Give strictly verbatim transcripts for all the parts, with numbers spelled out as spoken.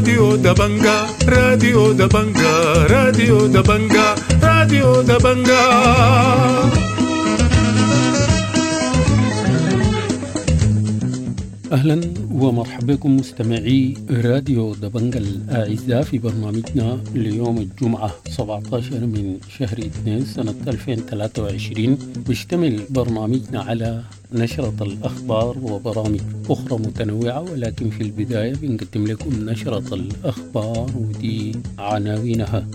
راديو دبنجا، راديو دبنجا، راديو دبنجا، راديو دبنجا. أهلا ومرحبا بكم مستمعي راديو دبنجا الأعزاء في برنامجنا ليوم الجمعة سبعة عشر من شهر اثنين سنة ألفين وثلاثة وعشرين. بيشتمل برنامجنا على نشرة الأخبار وبرامج أخرى متنوعة، ولكن في البداية بنقدم لكم نشرة الأخبار ودي عناوينها.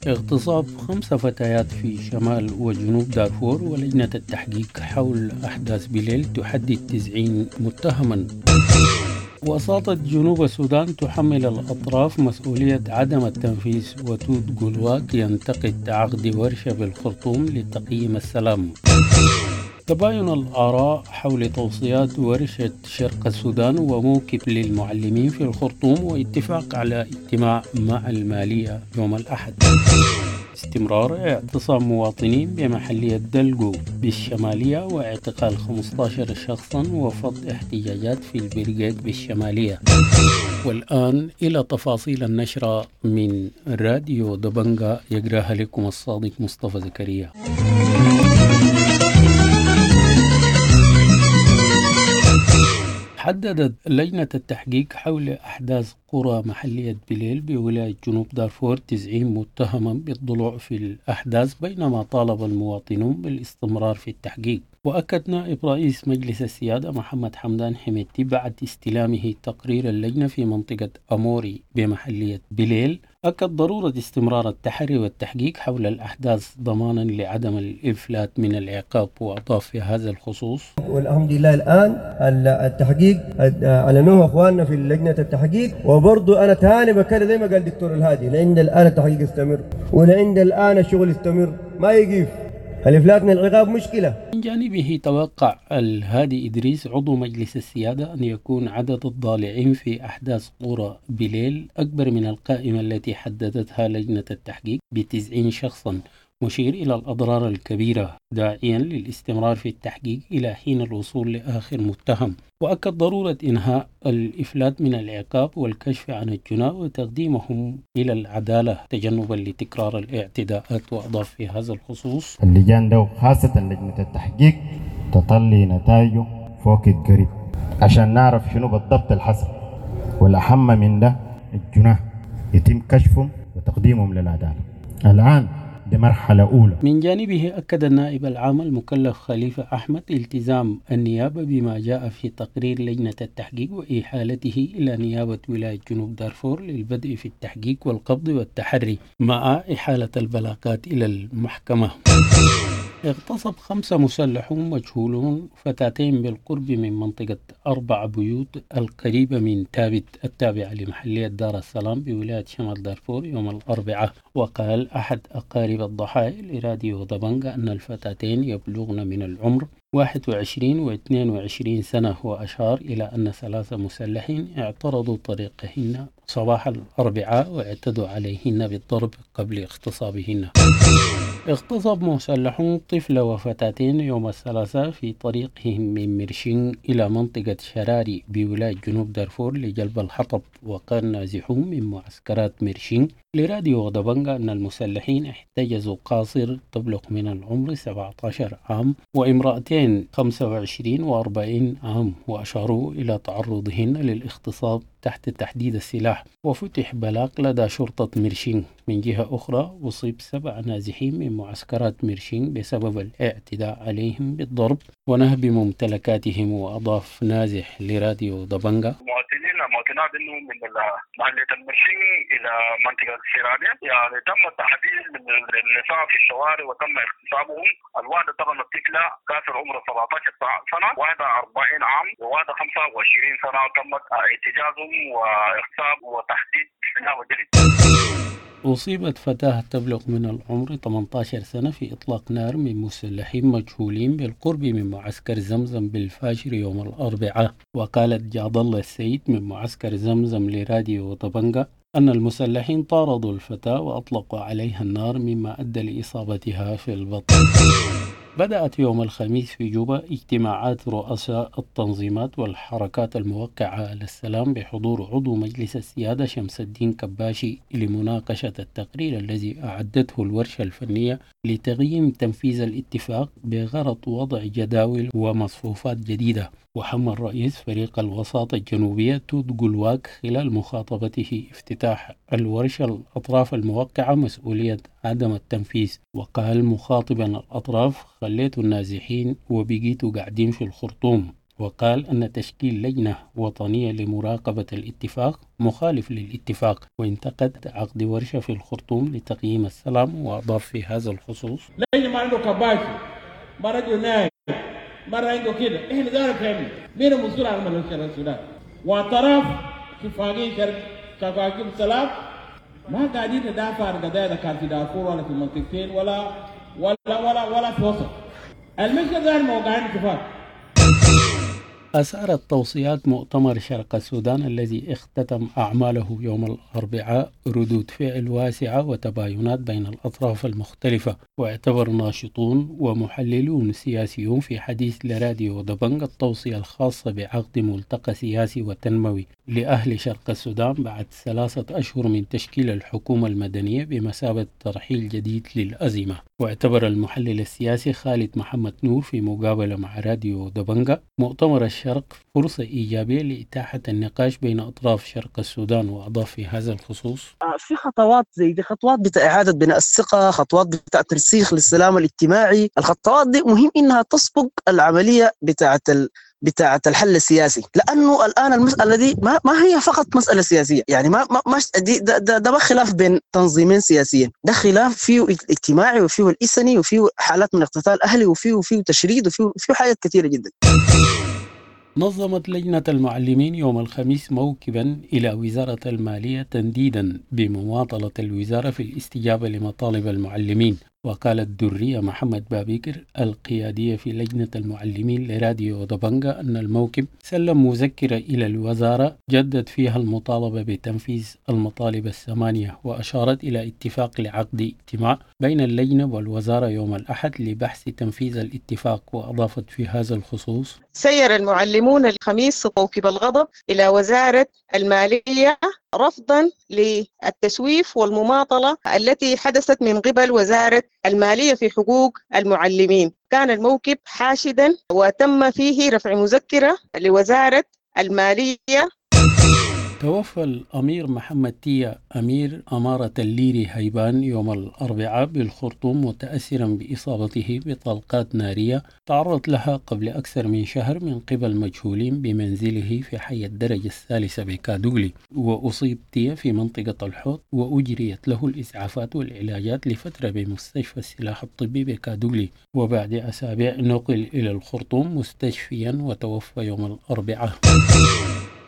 اغتصاب خمسة فتيات في شمال وجنوب دارفور، ولجنة التحقيق حول أحداث بليل تحدد تسعين متهما. وساطة جنوب السودان تحمل الأطراف مسؤولية عدم التنفيذ، وتود قلواك ينتقد عقد ورشة بالخرطوم لتقييم السلام. تباين الآراء حول توصيات ورشة شرق السودان وموكب للمعلمين في الخرطوم، واتفاق على اجتماع مع المالية يوم الأحد. استمرار اعتصام مواطنين بمحلية دلقو بالشمالية واعتقال خمسة عشر شخصا وفض احتجاجات في البرقيق بالشمالية. والآن إلى تفاصيل النشرة من راديو دبنجا، يقراها لكم الصادق مصطفى زكريا. حددت لجنة التحقيق حول أحداث قرى محلية بليل بولاية جنوب دارفور تسعين متهما بالضلوع في الأحداث، بينما طالب المواطنون بالاستمرار في التحقيق. وأكد نائب رئيس مجلس السيادة محمد حمدان حميدتي بعد استلامه تقرير اللجنة في منطقة أموري بمحلية بليل، أكد ضرورة استمرار التحري والتحقيق حول الأحداث ضمانا لعدم الإفلات من العقاب. وأضاف في هذا الخصوص: والحمد لله الآن التحقيق أعلنوه أخواننا في لجنة التحقيق، وبرضو أنا تاني بكرر زي ما قال دكتور الهادي، لعند الآن التحقيق يستمر، ولعند الآن الشغل يستمر، ما يقف. الإفلات من العقاب مشكلة. من جانبه توقع الهادي إدريس عضو مجلس السيادة أن يكون عدد الضالعين في أحداث قرى بليل أكبر من القائمة التي حددتها لجنة التحقيق بتسعين شخصا، مشير إلى الأضرار الكبيرة، داعيا للاستمرار في التحقيق إلى حين الوصول لآخر متهم. وأكد ضرورة إنهاء الإفلات من العقاب والكشف عن الجناة وتقديمهم إلى العدالة تجنبا لتكرار الاعتداءات. وأضاف في هذا الخصوص: اللجان ده خاصة لجنة التحقيق تطلي نتائجه فوق القريب عشان نعرف شنو بالضبط الحصل، والأهم من ده الجناة يتم كشفهم وتقديمهم للعدالة. الآن مرحلة أولى. من جانبه أكد النائب العام المكلف خليفة أحمد التزام النيابة بما جاء في تقرير لجنة التحقيق وإحالته إلى نيابة ولاية جنوب دارفور للبدء في التحقيق والقبض والتحري مع إحالة البلاغات إلى المحكمة. اغتصب خمسة مسلحون مجهولون فتاتين بالقرب من منطقة أربع بيوت القريبة من تابت التابعة لمحلية دار السلام بولاية شمال دارفور يوم الأربعاء. وقال أحد أقارب الضحايا لراديو دبنجا أن الفتاتين يبلغن من العمر واحد وعشرين واثنين وعشرين سنة، وأشار إلى أن ثلاثة مسلحين اعترضوا طريقهن صباح الأربعاء واعتدوا عليهن بالضرب قبل اغتصابهن. اغتصب مسلحون طفل وفتاتين يوم الثلاثاء في طريقهم من مرشين إلى منطقة شراري بولاية جنوب دارفور لجلب الحطب. وقال نازحون من معسكرات مرشين لراديو دبنجا أن المسلحين احتجزوا قاصر تبلغ من العمر سبعة عشر عام وامرأتين خمسة وعشرين وأربعين عام، وأشاروا إلى تعرضهن للاغتصاب تحت تحديد السلاح. وفتح بلاغ لدى شرطة مرشين. من جهة أخرى أصيب سبع نازحين من معسكرات مرشين بسبب الاعتداء عليهم بالضرب ونهب ممتلكاتهم. وأضاف نازح لراديو دبنجا: مواطنين مواطنات انه من محلية المرشين الى منطقة السيرانية، يعني تم التحديد من النساء في الشوارع وتم اغتصابهم. الواحدة طبعا الطفلة كافر عمرها سبعة عشر سنة، واحدة أربعين عام، وواحدة خمسة وعشرين سنة، وتمت احتجازهم واغتصاب وتحديد وجلد. أصيبت فتاة تبلغ من العمر ثمانية عشر سنة في إطلاق نار من مسلحين مجهولين بالقرب من معسكر زمزم بالفاشر يوم الأربعاء. وقالت جاد الله السيد من معسكر زمزم لراديو طبنجة أن المسلحين طاردوا الفتاة وأطلقوا عليها النار مما أدى لإصابتها في البطن. بدأت يوم الخميس في جوبا اجتماعات رؤساء التنظيمات والحركات الموقعة على السلام بحضور عضو مجلس السيادة شمس الدين كباشي لمناقشة التقرير الذي أعدته الورشة الفنية لتقييم تنفيذ الاتفاق بغرض وضع جداول ومصفوفات جديدة. وحمل رئيس فريق الوساطة الجنوبية توت قلواك خلال مخاطبته افتتاح الورشة الأطراف الموقعة مسؤولية عدم التنفيذ، وقال مخاطبا الأطراف: خليتوا النازحين وبقيتوا قاعدين في الخرطوم. وقال أن تشكيل لجنة وطنية لمراقبة الاتفاق مخالف للاتفاق، وانتقد عقد ورشة في الخرطوم لتقييم السلام. وأضاف في هذا الخصوص: لجنة ما عنده كباشي، ما رجل نايم، مرة عنده كده، احنا دار فهمنا مين المسؤول عن ملف السودان؟ واعتراف اتفاقية اتفاقية السلام ما قاعدين ندافع عن قضايا كان في دارفور ولا في المنطقتين ولا ولا ولا ولا في وسط المشكلة ده موقعين اتفاق. أثارت توصيات مؤتمر شرق السودان الذي اختتم أعماله يوم الأربعاء ردود فعل واسعة وتباينات بين الأطراف المختلفة، واعتبر ناشطون ومحللون سياسيون في حديث لراديو دبنج التوصية الخاصة بعقد ملتقى سياسي وتنموي لأهل شرق السودان بعد ثلاثة أشهر من تشكيل الحكومة المدنية بمثابة ترحيل جديد للأزمة. واعتبر المحلل السياسي خالد محمد نور في مقابلة مع راديو دبنجة مؤتمر الشرق فرصة إيجابية لإتاحة النقاش بين أطراف شرق السودان، وأضاف في هذا الخصوص: في خطوات زي دي، خطوات بتاع إعادة بناء الثقة، خطوات بتاع ترسيخ للسلام الاجتماعي. الخطوات دي مهم إنها تسبق العملية بتاعة ال... بتاعة الحل السياسي، لأنه الآن المسألة دي ما, ما هي فقط مسألة سياسية، يعني ما ما, ما دي ده, ده, ده ما خلاف بين تنظيمين سياسيين، ده خلاف فيه اجتماعي وفيه الإسني وفيه حالات من اقتتال أهلي وفيه وفيه تشريد وفيه فيه حاجات كثيرة جدا. نظمت لجنة المعلمين يوم الخميس موكبا إلى وزارة المالية تنديدا بمماطلة الوزارة في الاستجابة لمطالب المعلمين. وقالت درية محمد بابكر القيادية في لجنة المعلمين لراديو دبنجة أن الموكب سلم مذكرة إلى الوزارة جدد فيها المطالبة بتنفيذ المطالب الثمانية، وأشارت إلى اتفاق لعقد اجتماع بين اللجنة والوزارة يوم الأحد لبحث تنفيذ الاتفاق. وأضافت في هذا الخصوص: سير المعلمون الخميس موكب الغضب إلى وزارة المالية رفضا للتسويف والمماطلة التي حدثت من قبل وزارة المالية في حقوق المعلمين. كان الموكب حاشدا وتم فيه رفع مذكرة لوزارة المالية. توفى الأمير محمد تيا أمير أمارة الليري هيبان يوم الأربعاء بالخرطوم متأثرا بإصابته بطلقات نارية تعرض لها قبل أكثر من شهر من قبل مجهولين بمنزله في حي الدرجة الثالثة بكادولي. وأصيب تيا في منطقة الحوض وأجريت له الإسعافات والعلاجات لفترة بمستشفى السلاح الطبي بكادولي، وبعد أسابيع نقل إلى الخرطوم مستشفيا وتوفى يوم الأربعاء.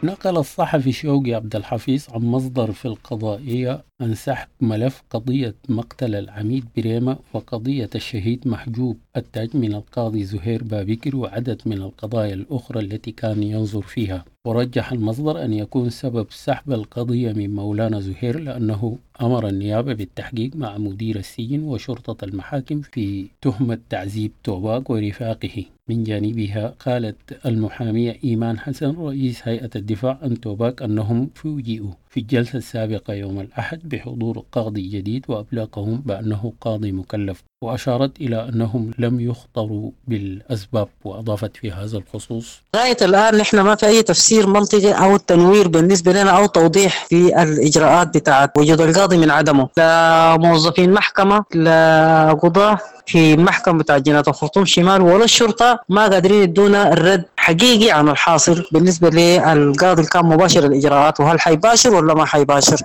نقل الصحفي شوقي عبد الحفيظ عن مصدر في القضائية عن سحب ملف قضية مقتل العميد بريمة وقضية الشهيد محجوب التاج من القاضي زهير بابكر وعدد من القضايا الأخرى التي كان ينظر فيها. ورجح المصدر أن يكون سبب سحب القضية من مولانا زهير لأنه أمر النيابة بالتحقيق مع مدير السجن وشرطة المحاكم في تهمة تعذيب توباك ورفاقه. من جانبها قالت المحامية إيمان حسن رئيس هيئة الدفاع عن توباك أنهم فوجئوا في الجلسة السابقة يوم الأحد بحضور قاضي جديد وأبلغهم بأنه قاضي مكلف، وأشارت إلى أنهم لم يخطروا بالأسباب. وأضافت في هذا الخصوص: لغاية الآن نحن ما في أي تفسير منطقي أو تنوير بالنسبة لنا أو توضيح في الإجراءات بتاعت وجود القاضي من عدمه، لا موظفين محكمة لا قضاة في محكمة بتاع جناية الخرطوم شمال ولا الشرطة ما قادرين يدونا الرد حقيقي عن الحاصل بالنسبة للقاضي اللي كان مباشر الإجراءات، وهل حيباشر ولا ما حيباشر.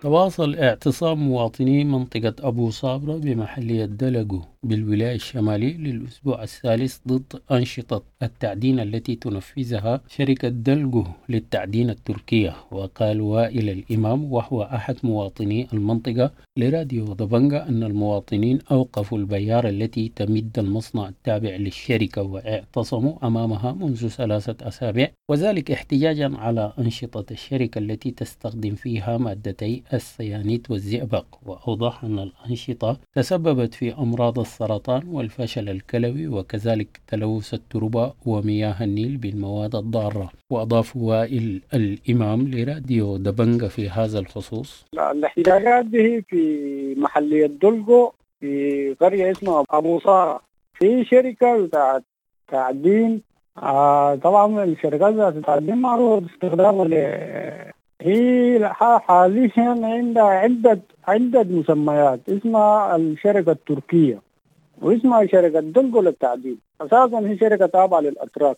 تواصل اعتصام مواطني منطقة أبو صابرة بمحلية دلقو بالولاية الشمالية للأسبوع الثالث ضد أنشطة التعدين التي تنفذها شركة دلقو للتعدين التركية. وقال وائل الإمام وهو أحد مواطني المنطقة لراديو دبنجة أن المواطنين أوقفوا البيارة التي تمد المصنع التابع للشركة واعتصموا أمامها منذ ثلاثة أسابيع، وذلك احتجاجا على أنشطة الشركة التي تستخدم فيها مادتي السيانيت والزئبق. وأوضح أن الأنشطة تسببت في أمراض السرطان والفشل الكلوي وكذلك تلوث التربة ومياه النيل بالمواد الضارة. وأضاف وائل الإمام لراديو دبنجة في هذا الخصوص: الاحتجاجات دي في محلية دلقو في قرية اسمها أبو صارة، في شركة بتاعت تعدين. آه طبعا الشركات بتاعت التعدين معروفة باستخدامها ل هي حاليا عندها عدة عدة مسميات، اسمها الشركة التركية واسمها شركة دلقو للتعدين، أساسا هي شركة تابعة للأتراك.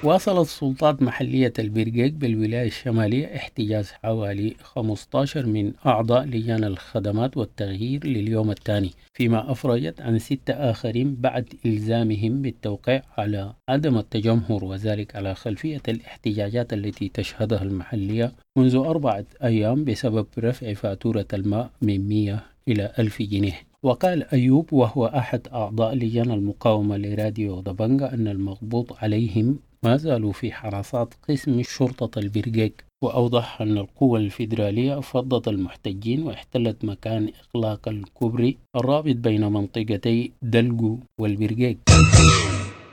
واصلت سلطات محلية البرقيق بالولاية الشمالية احتجاز حوالي خمسة عشر من أعضاء لجان الخدمات والتغيير لليوم الثاني، فيما أفرجت عن ستة آخرين بعد إلزامهم بالتوقيع على عدم التجمهر، وذلك على خلفية الاحتجاجات التي تشهدها المحلية منذ أربعة أيام بسبب رفع فاتورة الماء من مئة إلى ألف جنيه. وقال أيوب وهو أحد أعضاء لجان المقاومة لراديو دبنجة أن المقبوض عليهم ما زالوا في حراسات قسم شرطة البرقيق، وأوضح أن القوى الفيدرالية فضت المحتجين واحتلت مكان إغلاق الكوبري الرابط بين منطقتي دلقو والبرقيق.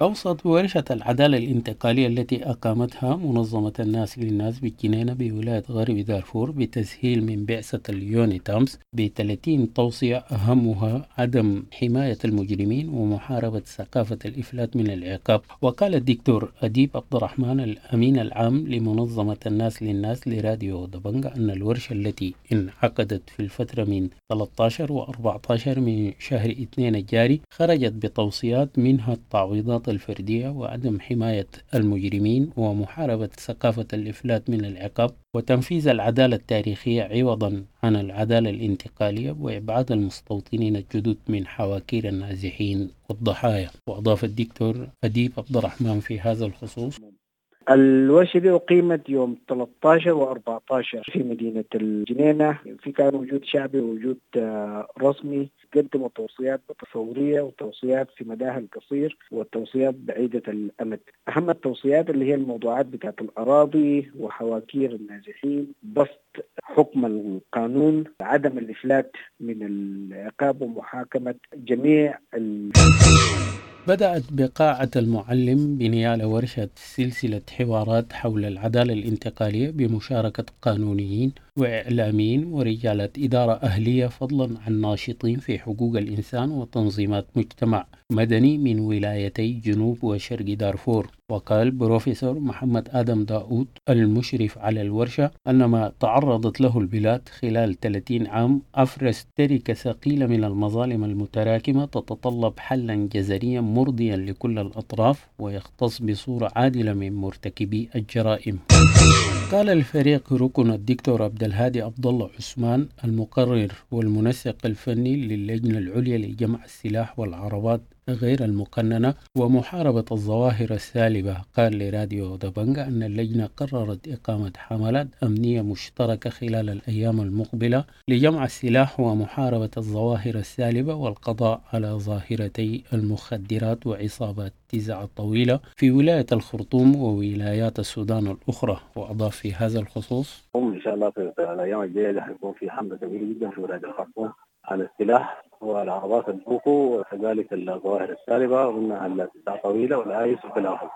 أوصت ورشة العدالة الانتقالية التي أقامتها منظمة الناس للناس بالجنينة بولاية غرب دارفور بتسهيل من بعثة اليونيتامس ب ثلاثين توصية، أهمها عدم حماية المجرمين ومحاربة ثقافة الإفلات من العقاب. وقال الدكتور أديب عبد الرحمن الأمين العام لمنظمة الناس للناس لراديو دبنجة أن الورشة التي انعقدت في الفترة من ثلاثة عشر و أربعة عشر من شهر اثنين الجاري خرجت بتوصيات منها التعويضات الفردية وعدم حماية المجرمين ومحاربة ثقافة الإفلات من العقاب وتنفيذ العدالة التاريخية عوضا عن العدالة الانتقالية وإبعاد المستوطنين الجدد من حواكير النازحين والضحايا. وأضاف الدكتور أديب عبد الرحمن في هذا الخصوص: الورشة دي أقيمت يوم ثلاثة عشر وأربعة عشر في مدينة الجنينة، في كان وجود شعبي ووجود رسمي، قدموا توصيات فورية وتوصيات في مداها القصير والتوصيات بعيدة الأمد. أهم التوصيات اللي هي الموضوعات بتاعت الأراضي وحواكير النازحين، بسط حكم القانون، عدم الإفلات من العقاب ومحاكمة جميع ال... بدأت بقاعة المعلم بنيال ورشة سلسلة حوارات حول العدالة الانتقالية بمشاركة قانونيين وإعلاميين ورجالات إدارة أهلية، فضلا عن ناشطين في حقوق الإنسان وتنظيمات مجتمع مدني من ولايتي جنوب وشرق دارفور. وقال بروفيسور محمد آدم داود المشرف على الورشة أن ما تعرضت له البلاد خلال ثلاثين عام أفرز تركة ثقيلة من المظالم المتراكمة تتطلب حلا جذريا مرضيا لكل الأطراف ويختص بصورة عادلة من مرتكبي الجرائم. قال الفريق ركن الدكتور عبد الهادي عبد الله عثمان المقرر والمنسق الفني للجنة العليا لجمع السلاح والعربات غير المقننة ومحاربة الظواهر السالبة، قال لراديو دبنجة أن اللجنة قررت إقامة حملات أمنية مشتركة خلال الأيام المقبلة لجمع السلاح ومحاربة الظواهر السالبة والقضاء على ظاهرتي المخدرات وعصابات تزع الطويلة في ولاية الخرطوم وولايات السودان الأخرى. وأضاف في هذا الخصوص: إن شاء الله في الأيام الجاية حيكون في حملة كبيرة جدا في ولاية الخرطوم على السلاح والعربات البوكو وكذلك الظواهر السالبة ومنها التسعة طويلة والآيس وخلافه.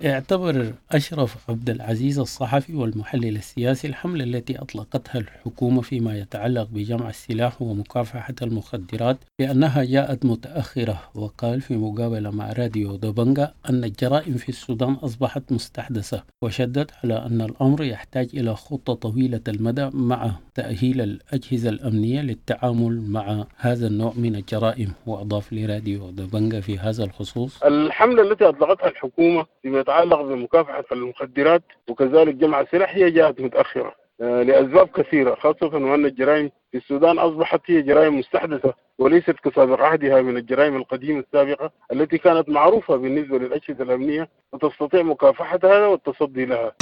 اعتبر أشرف عبد العزيز الصحفي والمحلل السياسي الحملة التي أطلقتها الحكومة فيما يتعلق بجمع السلاح ومكافحة المخدرات بأنها جاءت متأخرة. وقال في مقابلة مع راديو دبنجة أن الجرائم في السودان أصبحت مستحدثة، وشدد على أن الأمر يحتاج إلى خطة طويلة المدى مع تأهيل الأجهزة الأمنية للتعامل مع هذا النوع من الجرائم. وأضاف لراديو دبنجة في هذا الخصوص: الحملة التي أطلقتها الحكومة فيما يتعلق بمكافحة المخدرات وكذلك جمع السلاح هي جاءت متأخرة لأسباب كثيرة، خاصة وأن الجرائم في السودان أصبحت هي جرائم مستحدثة وليست كسابق عهدها من الجرائم القديمة السابقة التي كانت معروفة بالنسبة للأجهزة الأمنية وتستطيع مكافحتها والتصدي لها.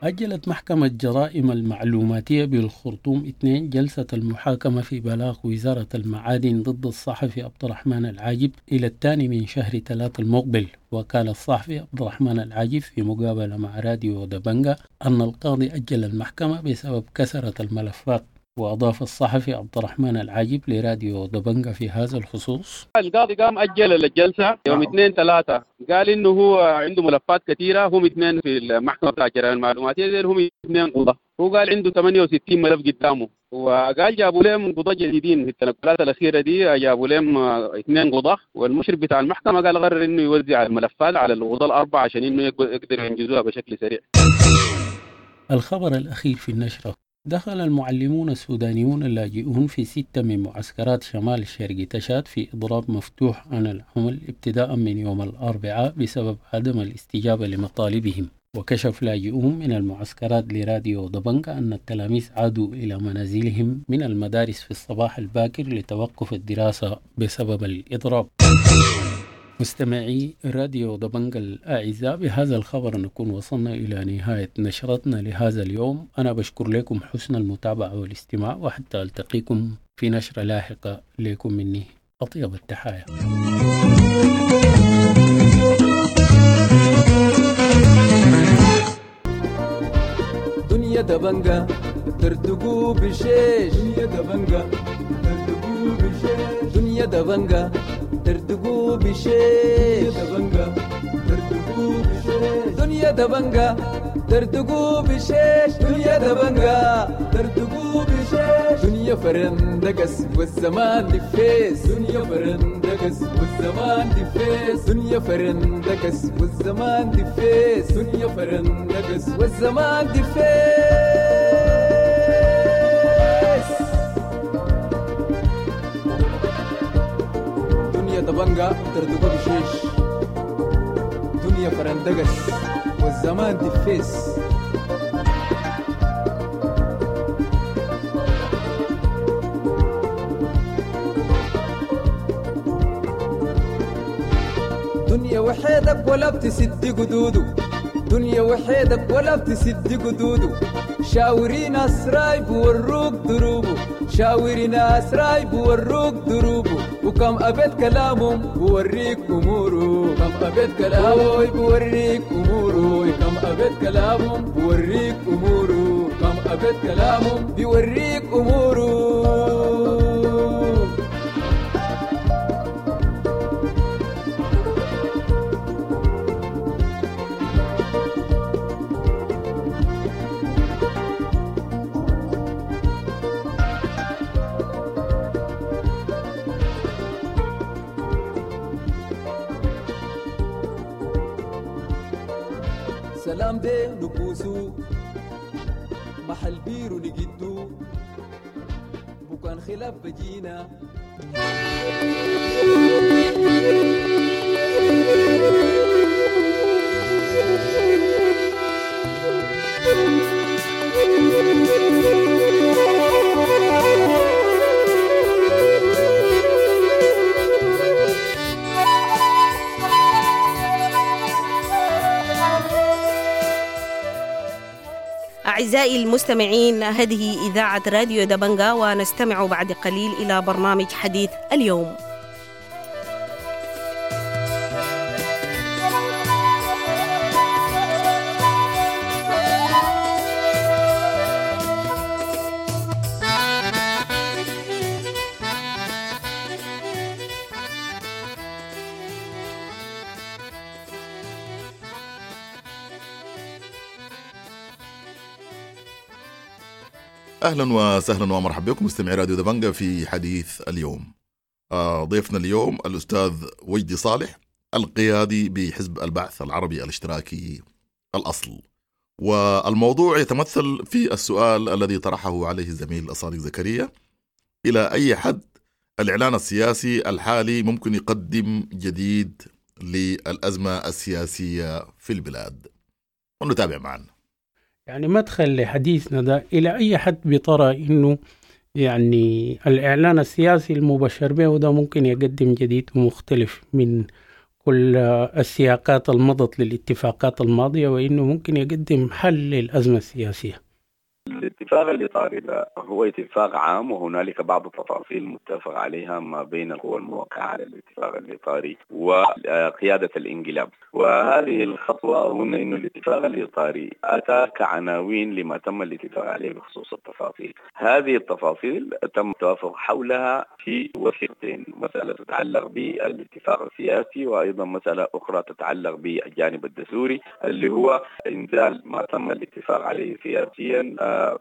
أجلت محكمة جرائم المعلوماتية بالخرطوم اثنين جلسة المحاكمة في بلاغ وزارة المعادن ضد الصحفي عبد الرحمن العاجب إلى الثاني من شهر ثلاثة المقبل. وقال الصحفي عبد الرحمن العاجب في مقابلة مع راديو دبنجة أن القاضي أجل المحكمة بسبب كثرة الملفات. وأضاف الصحفي عبد الرحمن العاجب لراديو دبنجة في هذا الخصوص: القاضي قام أجل الجلسة يوم اثنين ثلاثة، قال إنه هو عنده ملفات كثيرة، هم اثنين في المحكمة بتاع الجرائم المعلوماتية، هم اثنين قضاة، هو قال عنده ثمانية وستين ملف قدامه، وقال جابوا لهم قضاة جديدين في التنقلات الأخيرة دي، جابوا لهم اثنين قضاة، والمشرف بتاع المحكمة قال قرر إنه يوزع الملفات على القضاة الأربعة عشان إنه يقدروا ينجزوها بشكل سريع. الخبر الأخير في النشرة: دخل المعلمون السودانيون اللاجئون في ستة من معسكرات شمال شرق تشاد في إضراب مفتوح عن العمل ابتداء من يوم الأربعاء بسبب عدم الاستجابة لمطالبهم. وكشف لاجئون من المعسكرات لراديو دبنجة أن التلاميذ عادوا إلى منازلهم من المدارس في الصباح الباكر لتوقف الدراسة بسبب الإضراب. مستمعي راديو دبنجة الأعزاء، بهذا الخبر نكون وصلنا إلى نهاية نشرتنا لهذا اليوم. أنا بشكر لكم حسن المتابعة والاستماع، وحتى ألتقيكم في نشرة لاحقة لكم مني أطيب التحايا. دنيا دبنجة ترتقو بشيش، دنيا دبنجة ترتقو بشيش، دنيا دبنجة ترتقو بشيش، دنيا دبنجة ترتقو بشيش، دنيا دبنجة ترتقو بشيش، دنيا فرندقس والزمان دفيس، دنيا فرندقس والزمان دفيس، دنيا فرندقس والزمان دفيس، دنيا فرندقس والزمان دفيس. دبنجة تردقو بشيش، دنيا فرندقس والزمان دفيس. دنيا وحيدك ولا بتسد قدودو، دنيا وحيدك ولا بتسد قدودو، شاوري ناس رايب وروك دروبو، شاوري ناس رايب وروك دروبو، وكم أبيت كلامهم بوريك أموره، كم أبيت كلامه بوريك أموره، كم أبيت كلامهم بوريك أموره، كم أبيت كلامهم بيوريك أموره. سلام دي نبوسو محل بيرو نجدو بكان خلاف بجينا. أعزائي المستمعين، هذه إذاعة راديو دبنجة، ونستمع بعد قليل إلى برنامج حديث اليوم. أهلا وسهلا ومرحبا بكم مستمعي راديو دبنجة في حديث اليوم. ضيفنا اليوم الأستاذ وجدي صالح، القيادي بحزب البعث العربي الاشتراكي الأصل، والموضوع يتمثل في السؤال الذي طرحه عليه الزميل الصادق زكريا: إلى أي حد الإعلان السياسي الحالي ممكن يقدم جديد للأزمة السياسية في البلاد؟ ونتابع معنا. يعني مدخل لحديثنا ده، إلى أي حد بترى إنه يعني الإعلان السياسي المبشر به ده ممكن يقدم جديد ومختلف من كل السياقات المضت للاتفاقات الماضية، وإنه ممكن يقدم حل للأزمة السياسية؟ الاتفاق الاتفاق الإطاري ده هو اتفاق عام، وهنالك بعض التفاصيل متفق عليها ما بين القوى الموقعة على الاتفاق الإطاري وقيادة الانقلاب. وهذه الخطوة أظن أن الاتفاق الإطاري أتى كعناوين لما تم الاتفاق عليه بخصوص التفاصيل. هذه التفاصيل تم التوافق حولها في وثيقتين، مسألة تتعلق بالاتفاق السياسي وأيضا مسألة أخرى تتعلق بالجانب الدستوري اللي هو إنزال ما تم الاتفاق عليه سياسيا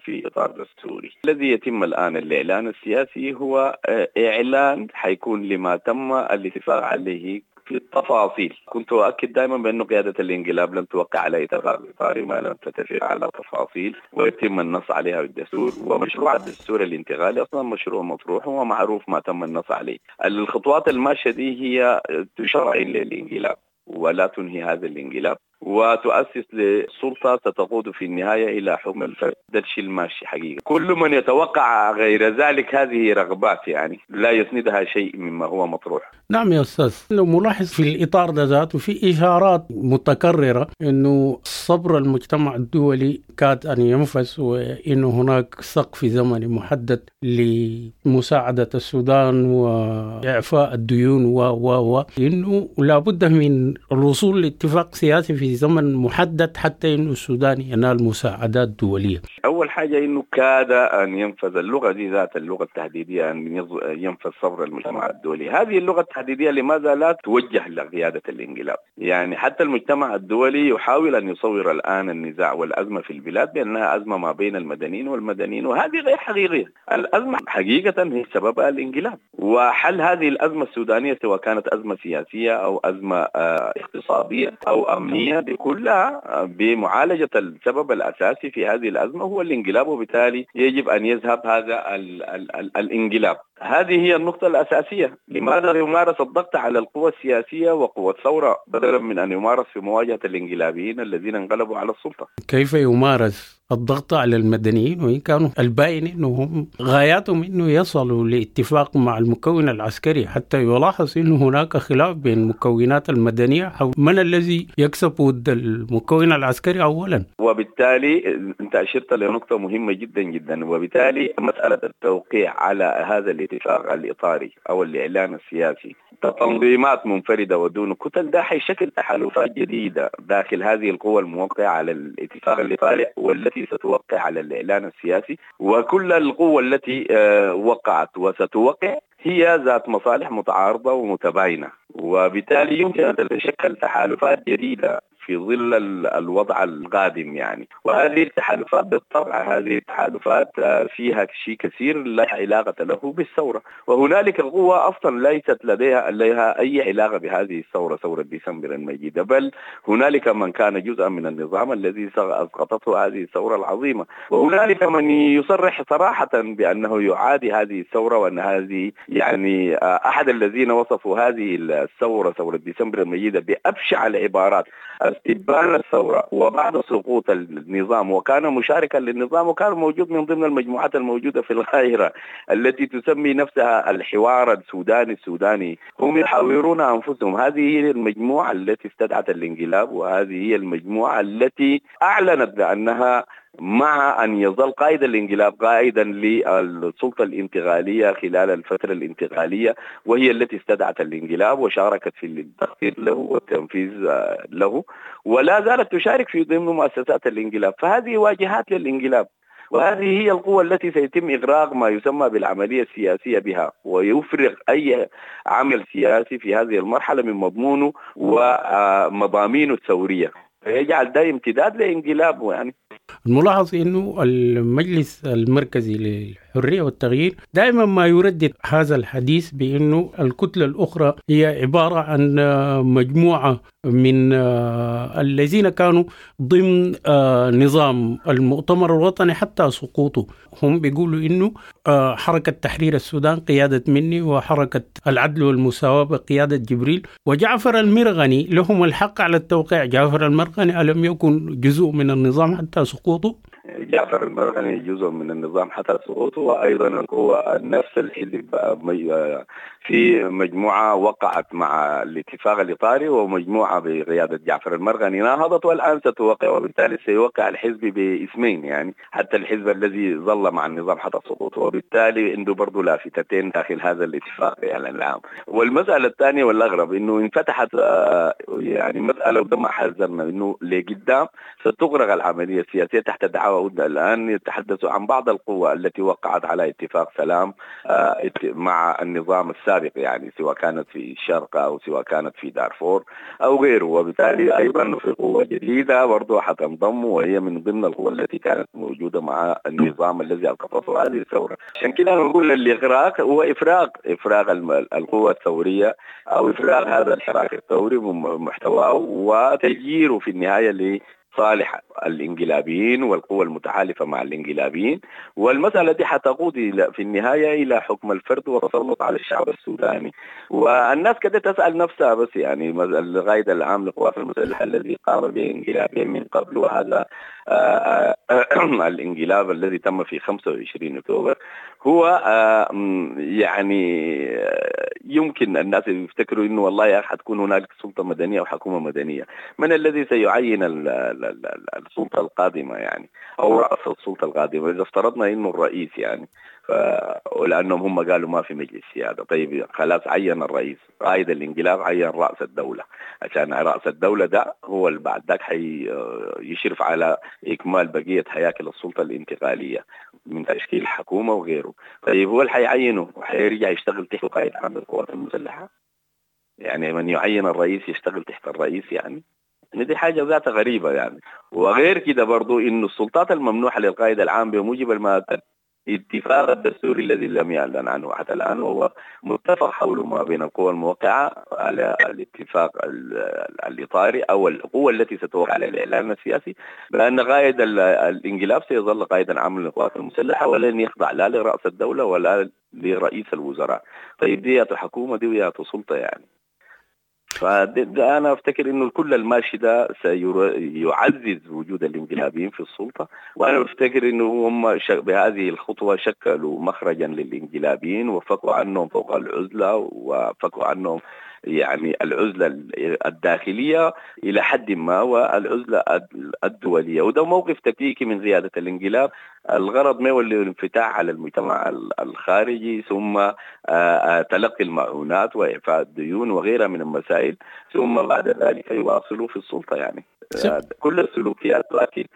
في إطار دستوري. الذي يتم الآن الإعلان السياسي هو إعلان حيكون لما تم الاتفاق عليه في التفاصيل. كنت أؤكد دائما بأن قيادة الانقلاب لم توقع على اتفاق إطاري ما لم تتفق على تفاصيل ويتم النص عليها بالدستور، ومشروع الدستور الانتقالي أصلا مشروع مطروح ومعروف ما تم النص عليه. الخطوات الماشية دي هي تشرع للانقلاب ولا تنهي هذا الانقلاب، وتؤسس لسلطة ستقود في النهاية إلى حكم الفرد. ده الشيء الماشي حقيقة. كل من يتوقع غير ذلك هذه رغبات يعني لا يسندها شيء مما هو مطروح. نعم يا أستاذ، لو ملاحظ في الإطار ده ذاته في إشارات متكررة أنه صبر المجتمع الدولي كاد أن ينفس، وأنه هناك سقف زمني محدد لمساعدة السودان وإعفاء الديون و و و إنه لابد من الوصول لاتفاق سياسي في زمن محدد حتى إنه السودان ينال مساعدات دولية. أول حاجة إنه كاد أن ينفذ اللغة دي ذات اللغة التهديدية، أن ينفذ صبر المجتمع الدولي. هذه اللغة التهديدية لماذا لا توجه لقيادة الانقلاب؟ يعني حتى المجتمع الدولي يحاول أن يصور الآن النزاع والأزمة في البلاد بأنها أزمة ما بين المدنيين والمدنيين، وهذه غير حقيقية. الأزمة حقيقة هي سببها الانقلاب، وحل هذه الأزمة السودانية سواء كانت أزمة سياسية أو أزمة اقتصادية أو أمنية كلها بمعالجة السبب الأساسي في هذه الأزمة هو الانقلاب، وبالتالي يجب أن يذهب هذا ال ال ال الانقلاب. هذه هي النقطة الأساسية. لماذا يمارس الضغط على القوى السياسية وقوى الثورة بدلا من أن يمارس في مواجهة الانقلابيين الذين انقلبوا على السلطة؟ كيف يمارس الضغط على المدنيين وإن كانوا الباين أنهم غاياتهم أنه يصلوا لاتفاق مع المكون العسكري، حتى يلاحظ أنه هناك خلاف بين المكونات المدنية حول من الذي يكسب ود المكون العسكري أولا. وبالتالي أنت أشرت لنقطة مهمة جدا جدا، وبالتالي مسألة التوقيع على هذا الاتفاق الإطاري أو الإعلان السياسي تنظيمات منفردة ودون كتل ده حيشكل تحالفات جديدة داخل هذه القوى الموقعة على الاتفاق الإطاري والتي ستوقع على الإعلان السياسي، وكل القوى التي وقعت وستوقع هي ذات مصالح متعارضة ومتباينة، وبالتالي يمكن أن تتشكل تحالفات جديدة في ظل الوضع القادم يعني. وهذه التحالفات بالطبع هذه التحالفات فيها شيء كثير لا علاقة له بالثورة، وهنالك قوة أصلا ليست لديها لها أي علاقة بهذه الثورة، ثورة ديسمبر المجيدة، بل هنالك من كان جزءا من النظام الذي أسقطته هذه الثورة العظيمة، وهنالك من يصرح صراحة بأنه يعادي هذه الثورة، وأن هذه يعني أحد الذين وصفوا هذه الثورة ثورة ديسمبر المجيدة بأبشع العبارات استبان الثورة وبعد سقوط النظام، وكان مشاركا للنظام وكان موجود من ضمن المجموعات الموجودة في القاهرة التي تسمي نفسها الحوار السوداني السوداني، هم يحاورون أنفسهم. هذه هي المجموعة التي استدعت الانقلاب، وهذه هي المجموعة التي أعلنت بأنها مع أن يظل قائد الانقلاب قائدا للسلطة الانتقالية خلال الفترة الانتقالية، وهي التي استدعت الانقلاب وشاركت في التخطيط له والتنفيذ له، ولا زالت تشارك في ضمن مؤسسات الانقلاب. فهذه واجهات للانقلاب، وهذه هي القوة التي سيتم إغراق ما يسمى بالعملية السياسية بها، ويفرغ أي عمل سياسي في هذه المرحلة من مضمونه ومضامينه الثورية، يجعل ده امتداد لانقلابه. يعني الملاحظ انه المجلس المركزي للحرية والتغيير دائما ما يردد هذا الحديث بانه الكتلة الاخرى هي عبارة عن مجموعة من الذين كانوا ضمن نظام المؤتمر الوطني حتى سقوطه. هم بيقولوا انه حركة تحرير السودان قيادة مني، وحركة العدل والمساواة بقيادة جبريل، وجعفر المرغني لهم الحق على التوقيع. جعفر المرغني ألم يكن جزء من النظام حتى سقوطه؟ جعفر المرغني جزء من النظام حتى سقوطه، وأيضا القوة نفس الحزب في مجموعة وقعت مع الاتفاق الإطاري ومجموعة بقيادة جعفر المرغني ناهضت والآن ستوقع، وبالتالي سيوقع الحزب باسمين يعني حتى الحزب الذي ظل مع النظام حتى سقوطه، وبالتالي عنده برضه لافتتين داخل هذا الاتفاق يعني العام. والمسألة الثانية والأغرب إنه انفتحت يعني مسألة وده ما حذرنا إنه لقدام ستغرق العملية السياسية تحت دعاوى. الآن يتحدثوا عن بعض القوى التي وقعت على اتفاق سلام مع النظام السابق يعني سواء كانت في الشرق أو سواء كانت في دارفور أو غيره، وبالتالي أيضا في قوة جديدة برضه حتنضم وهي من ضمن القوى التي كانت موجودة مع النظام الذي أوقفته هذه الثورة. عشان كده نقول الإغراق هو إفراغ إفراغ القوى الثورية أو إفراغ هذا الحراك الثوري محتواه وتجيره في النهاية ل صالح الانقلابيين والقوى المتحالفة مع الانقلابيين. والمسألة دي حتقود في النهاية إلى حكم الفرد والتسلط على الشعب السوداني. والناس كده تسأل نفسها بس يعني القائد العام للقوات المسلحة الذي قام بانقلابين من قبل، وهذا آه الانقلاب الذي تم في خمسة وعشرين أكتوبر هو آه يعني يمكن الناس يفتكروا إنه والله يا أخي حتكون هنالك سلطة مدنية وحكومة مدنية. من الذي سيعين السلطة القادمة يعني أو رأس السلطة القادمة إذا افترضنا إنه الرئيس يعني ف... ولأنهم هم قالوا ما في مجلس سيادة. طيب خلاص عين الرئيس قائد الانقلاب عين رأس الدولة، عشان رأس الدولة ده هو اللي بعد ذاك حيشرف على إكمال بقية هياكل السلطة الانتقالية من تشكيل حكومة وغيره. طيب هو اللي حيعينه وحيرجع يشتغل تحت قائد عام القوات المسلحة، يعني من يعين الرئيس يشتغل تحت الرئيس يعني دي حاجة ذاتها غريبة يعني. وغير كده برضو إنه السلطات الممنوحة للقائد العام بموجب المادة الاتفاق الدستوري الذي لم يعلن عنه حتى الآن وهو متفق حوله ما بين القوى الموقعة على الاتفاق الإطاري أو القوى التي ستوقع على الإعلان السياسي بأن قائد الانقلاب سيظل قائدا عاما للقوات المسلحة ولن يخضع لا لرأس الدولة ولا لرئيس الوزراء. طيب دي حكومة دي سلطة يعني. فأنا أفتكر إنه كل الماشي ده سيعزز وجود الانقلابيين في السلطة، وأنا أفتكر إنه هم بهذه الخطوة شكلوا مخرجا للانقلابيين وفكوا عنهم فوق العزلة وفكوا عنهم يعني العزلة الداخلية إلى حد ما والعزلة الدولية. وده موقف تكتيكي من قيادة الانقلاب، الغرض ما هو الانفتاح على المجتمع الخارجي ثم تلقي المعونات وإعفاء الديون وغيرها من المسائل ثم بعد ذلك يواصلوا في السلطة يعني كل السلوكيات تؤكد.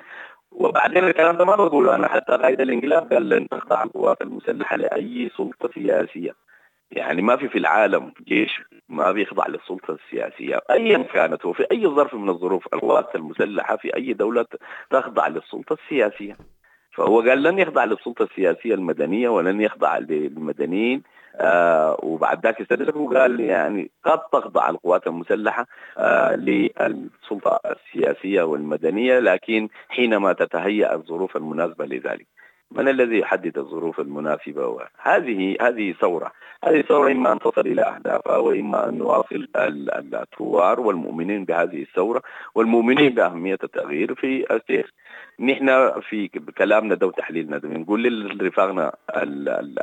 وبعدين الكلام ده ما بقوله أنا، حتى قائد الانقلاب قال لن تخضع القوات المسلحة لأي سلطة سياسية. يعني ما في في العالم جيش ما بيخضع للسلطة السياسية أيا كانت وفي أي ظرف من الظروف. القوات المسلحة في أي دولة تخضع للسلطة السياسية، فهو قال لن يخضع للسلطة السياسية المدنية ولن يخضع للمدنيين. آه وبعد ذاك استدرك وقال يعني قد تخضع القوات المسلحة آه للسلطة السياسية والمدنية لكن حينما تتهيأ الظروف المناسبة لذلك. من الذي يحدد الظروف المناسبة؟ هذه هذه ثورة، هذه ثورة إما أن تصل إلى أهدافها وإما أن نواصل الثوار والمؤمنين بهذه الثورة والمؤمنين بأهمية التغيير في السير. نحن في كلامنا ده وتحليلنا ده بنقول لرفاقنا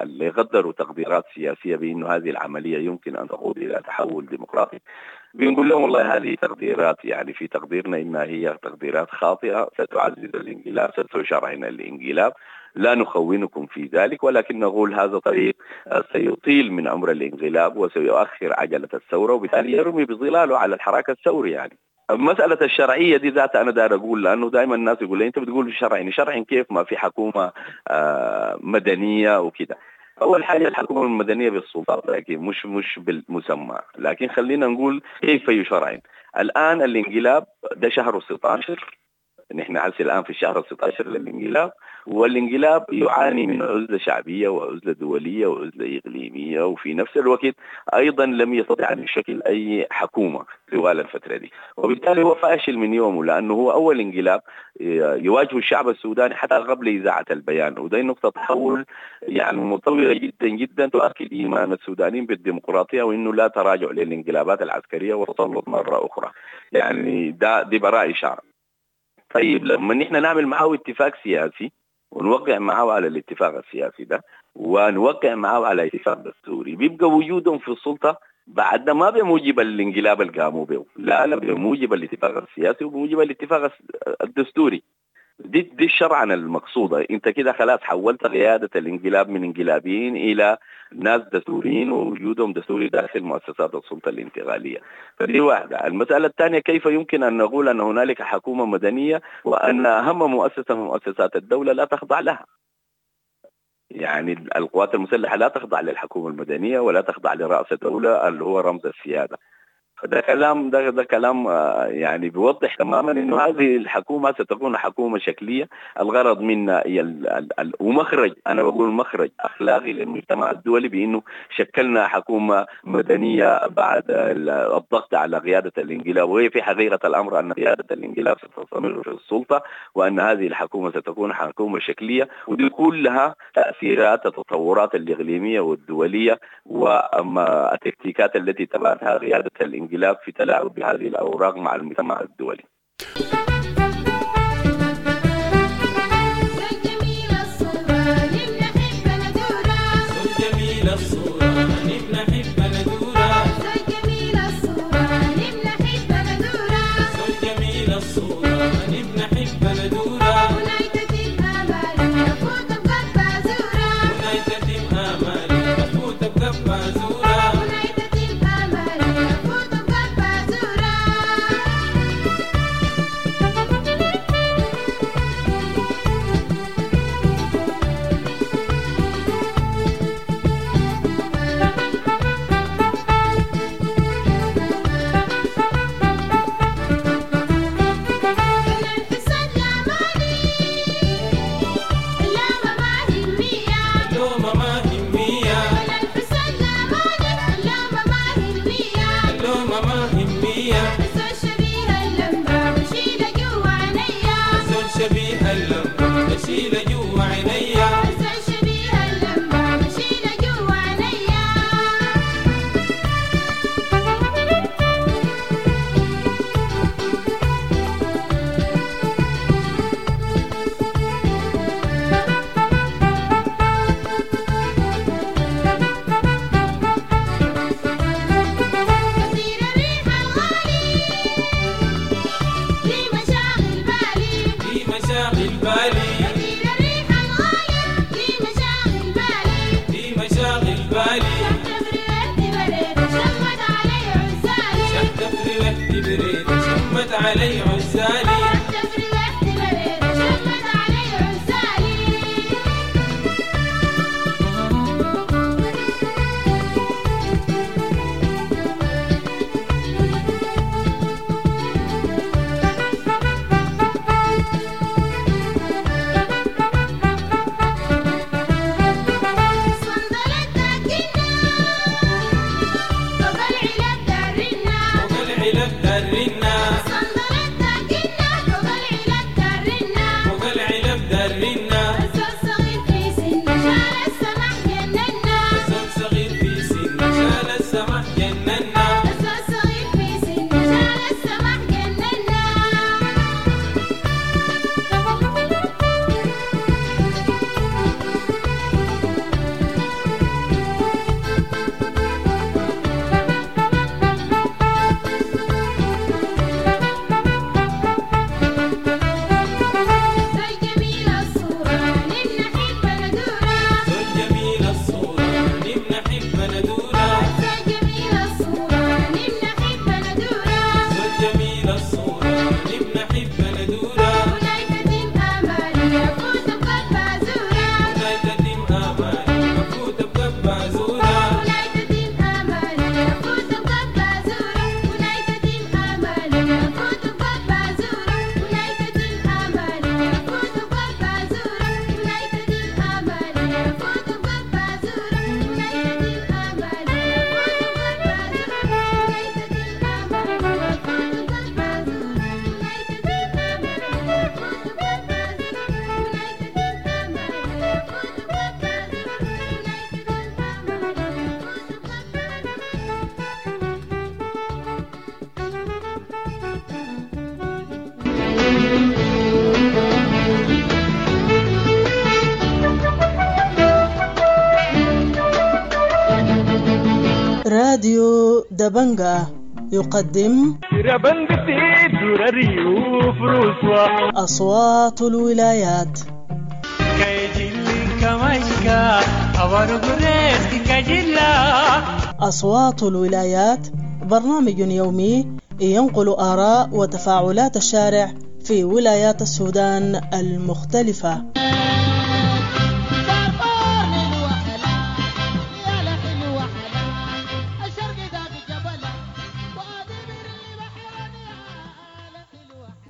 اللي غدروا تقديرات سياسية بأنه هذه العملية يمكن أن تقود إلى تحول ديمقراطي، بنقول لهم والله هذه تقديرات يعني في تقديرنا إنها هي تقديرات خاطئة، ستعزز الانقلاب، ستشرعن الانقلاب، لا نخونكم في ذلك، ولكن نقول هذا طريق سيطيل من عمر الانقلاب وسيؤخر عجلة الثورة وبالتالي يرمي بظلاله على الحراك الثوري. يعني مسألة الشرعية دي ذاتها أنا دار أقول، لأنه دائما الناس يقول لي أنت بتقول شرعي، شرعي كيف ما في حكومة مدنية وكده. أول حاجة الحكومة المدنية بالسلطات لكن مش مش بالمسمى، لكن خلينا نقول كيف يشرعن. الآن الانقلاب ده شهر ستة عشر، نحن هسه الآن في الشهر ستة عشر للانقلاب، والانقلاب يعاني من عزلة شعبية وعزلة دولية وعزلة إقليمية، وفي نفس الوقت أيضا لم يستطع أن يشكل أي حكومة طوال الفترة دي، وبالتالي هو فاشل من يومه، لأنه هو أول انقلاب يواجه الشعب السوداني حتى قبل إذاعة البيان، وده نقطة تحول يعني مطولة جدا جدا تؤكد إيمان السودانيين بالديمقراطية وإنه لا تراجع للانقلابات العسكرية والتسلط مرة أخرى. يعني ده دي براء إشارة. طيب لما نحن نعمل معه اتفاق سياسي ونوقع معه على الاتفاق السياسي ده ونوقع معه على اتفاق دستوري، بيبقى وجودهم في السلطة بعد ما بموجب الانقلاب اللي قاموا به، لا لا بموجب الاتفاق السياسي وبموجب الاتفاق الدستوري. دي دي الشرعنة المقصودة. انت كده خلاص حولت قيادة الانقلاب من انقلابيين الى ناس دستوريين ووجودهم دستوري داخل مؤسسات السلطة الانتقالية. فدي واحدة. المسألة الثانية، كيف يمكن ان نقول ان هنالك حكومة مدنية وان اهم مؤسسة من مؤسسات الدولة لا تخضع لها؟ يعني القوات المسلحة لا تخضع للحكومة المدنية ولا تخضع لرأس الدولة اللي هو رمز السيادة. فده كلام ده ده كلام يعني بيوضح تماما انه هذه الحكومة ستكون حكومة شكلية، الغرض منها ومخرج، انا بقول مخرج اخلاقي للمجتمع الدولي بانه شكلنا حكومة مدنية بعد الضغط على قيادة الانقلاب، وهي في حقيقة الامر ان قيادة الانقلاب ستستمر في السلطة وان هذه الحكومة ستكون حكومة شكلية، ودي كلها تاثيرات التطورات الاقليمية والدولية واما التكتيكات التي تبعتها قيادة الانقلاب في تلاعب بهذه الأوراق مع المجتمع الدولي. علي عزالي راديو دبنجا يقدم أصوات الولايات. أصوات الولايات برنامج يومي ينقل آراء وتفاعلات الشارع في ولايات السودان المختلفة.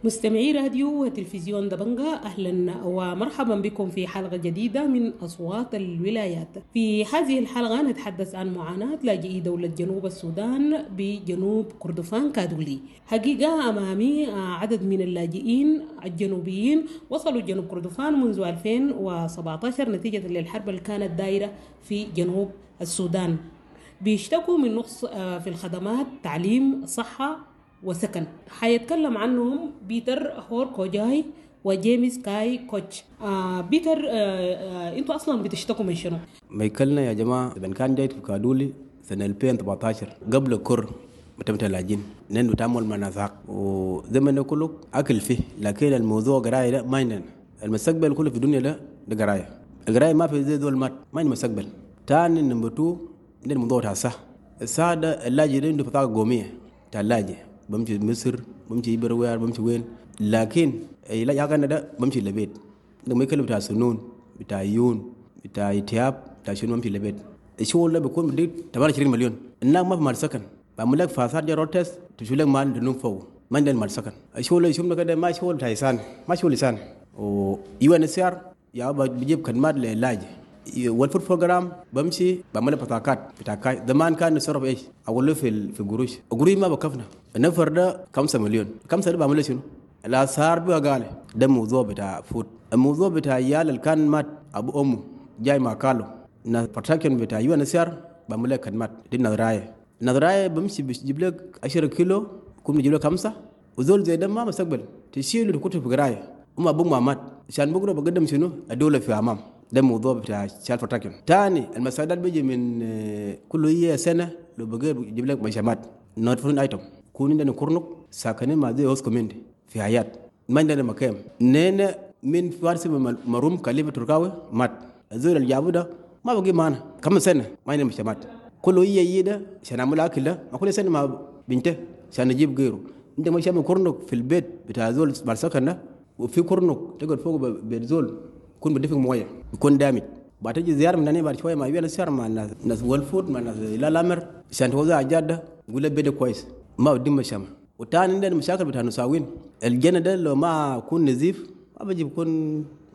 مستمعي راديو وتلفزيون دبنجا، أهلا ومرحبا بكم في حلقة جديدة من أصوات الولايات. في هذه الحلقة نتحدث عن معاناة لاجئي دولة جنوب السودان بجنوب كردفان كادولي. حقيقة أمامي عدد من اللاجئين الجنوبيين وصلوا جنوب كردفان منذ ألفين وسبعة عشر نتيجة للحرب اللي كانت دايرة في جنوب السودان. بيشتكوا من نقص في الخدمات، تعليم، صحة وسكن. حيتكلم عنهم بيتر هور كوجاي وجيمس كاي كوتش. آه بيتر، آه آه انتوا اصلا بتشتكوا من شنو؟ ميكلنا يا جماعة من كان جاي في كادولي سنة ألفين وسبعة عشر قبل كر متمت اللاجين نحن نتعامل مع ناس وزي ما كله اكل فيه، لكن الموضوع قرايه ده ما عندنا. المستقبل كله في الدنيا ده ده قرايه، القراية ما في زي دول مات ما عندنا مستقبل. ثاني نمبر اتنين عندنا الموضوع تاع الصح السادة اللاجئين عنده بطاقة قومية تاع اللاجئ، بمشي مصر، بمشي بروير، بمشي وين، لكن العلاج حقنا ده بمشي للبيت. لما يكلم بتاع سنون، بتاع عيون، بتاع اتياب، بتاع شنو، بمشي للبيت. الشغل ده بيكون بديك ثمانية وعشرين مليون. الناس ما في مال سكن، بعمل لك فاسات جا روتس تشوف لك مال دنوم فوق، ما عندنا مال سكن. الشغل اللي شفنا كده ما شغل بتاع لسان، ما شغل لسان. و يو ان سي ار يا بجيب خدمات للعلاج. وال food program بمشي بعمل بطاقات بطاقات زمان كان نصرف ايش؟ اقول له في في قروش، القروش ما بكفنا. النفر ده خمسة مليون، خمسة ده بعمل شنو؟ الاسعار بقى غالي. ده موضوع بتاع food، الموضوع بتاع عيال اللي كان مات ابو امه جاي مع كالو ناس protection بتاع UNHCR بعمل لك خدمات دي نظرايه، نظرايه بمشي بجيب لك عشرة كيلو كم بجيب لك خمسة، وزول زي ده ما مستقبل تشيله تكتب في قرايه وما ابوك ما مات عشان بكره بقدم شنو؟ الدولة في امام. ده موضوع بتاع child protection. تاني المساعدات بيجي من كل هي سنة لو بقى بيجيب لك مشامات non food item. كون عندنا كورنك ساكنين مع زي host community في حياة ما عندنا مكان. نينا من فارس مروم كليفة تركاوي مات الزول اللي جابوه ده ما بقي معنا كم سنة ما عندنا مشامات. كل هي هي ده عشان نعمل اكل ده ما كل سنة مع بنته عشان نجيب غيره. انت مش كورنك في البيت بتاع زول بالسكن ده، وفي كورنك تقعد فوق بيت زول يكون بدفق مويه يكون دامج. بعد تجي زيارة من هنا بعد شوية ما يبي السيارة مع الناس ناس والفود مع الناس لا لامر عشان توزع الجادة يقول لك بيده كويس ما بدي مشام. وتاني عندنا مشاكل بتاع نساوين الجنة ده لو ما يكون نزيف ما بيجي بكون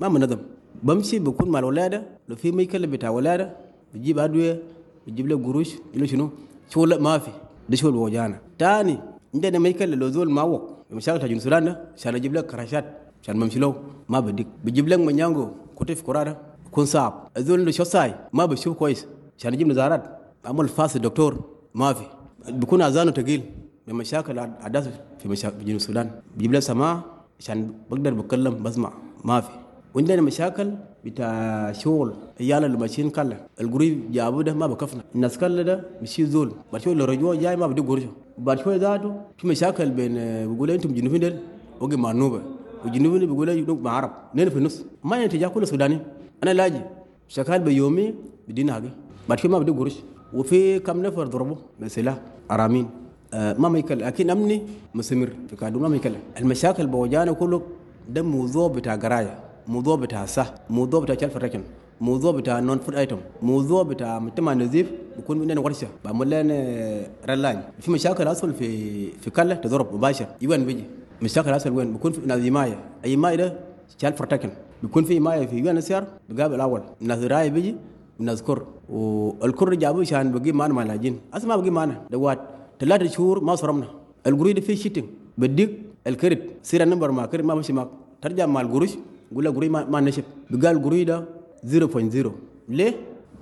ما منظم، بمشي بكون مع الولادة لو في ميكل بتاع ولاده بيجيب ادوية بيجيب له قروش يقول شنو شغل ما في ده شغل وجانا. تاني عندنا ميكل لو زول ما وق مشاكل تاع السودان ده عشان اجيب لك كراشات عشان بمشي له ما بديك بجيب لك منيانجو كنت في كرادة يكون صعب. الزول اللي شو ساي ما بشوف كويس عشان اجيب نزارات عمل فاس الدكتور ما في بيكون اذانه ثقيل بمشاكل عداس في مشاكل في جنوب السودان بجيب له سماع عشان بقدر بتكلم بسمع ما في. وعندنا مشاكل بتاع شغل عيال اللي ماشيين كله القريب جابوه ده ما بكفنا الناس كله ده مشي زول بعد شوية اللي رجوع جاي ما بدي قرشه بعد شوية ذاته في مشاكل بين بيقولوا انتم جنوبيين ديل وقي مع النوبة وجنوبيين بيقولوا جنوب مع عرب نين في النص ما ينتجع كله سوداني. انا لاجي شغال بيومي بدينا حاجة بعد شوية ما بدي قرش. وفي كم نفر ضربوا بسلاح ارامين آه ما ميكل لكن امني مستمر في كادو ما ميكل. المشاكل بوجانا كله ده موضوع بتاع قرايه، موضوع بتاع صح، موضوع بتاع child protection، موضوع بتاع non food item، موضوع بتاع مجتمع نظيف بيكون عندنا ورشه بعمل لنا رلاين. في مشاكل اصل في في كله تضرب مباشر يوين بيجي مشاكل اصل وين بيكون في ناس حماية اي مايه ده child protection بيكون في مايه في UNHCR بقابل الاول ناس راي بيجي وناس كر والكر جابوه عشان بقي معنا مع اللاجئين اصلا ما بقي معنا دوات ثلاثة شهور ما صرمنا القريد فيه شيتنج بديك الكريت سير النمبر مع كريت ما بمشي معك ترجع مع القروش يقول لك قري ما, ما نشف بقال قري ده صفر فاصلة صفر ليه؟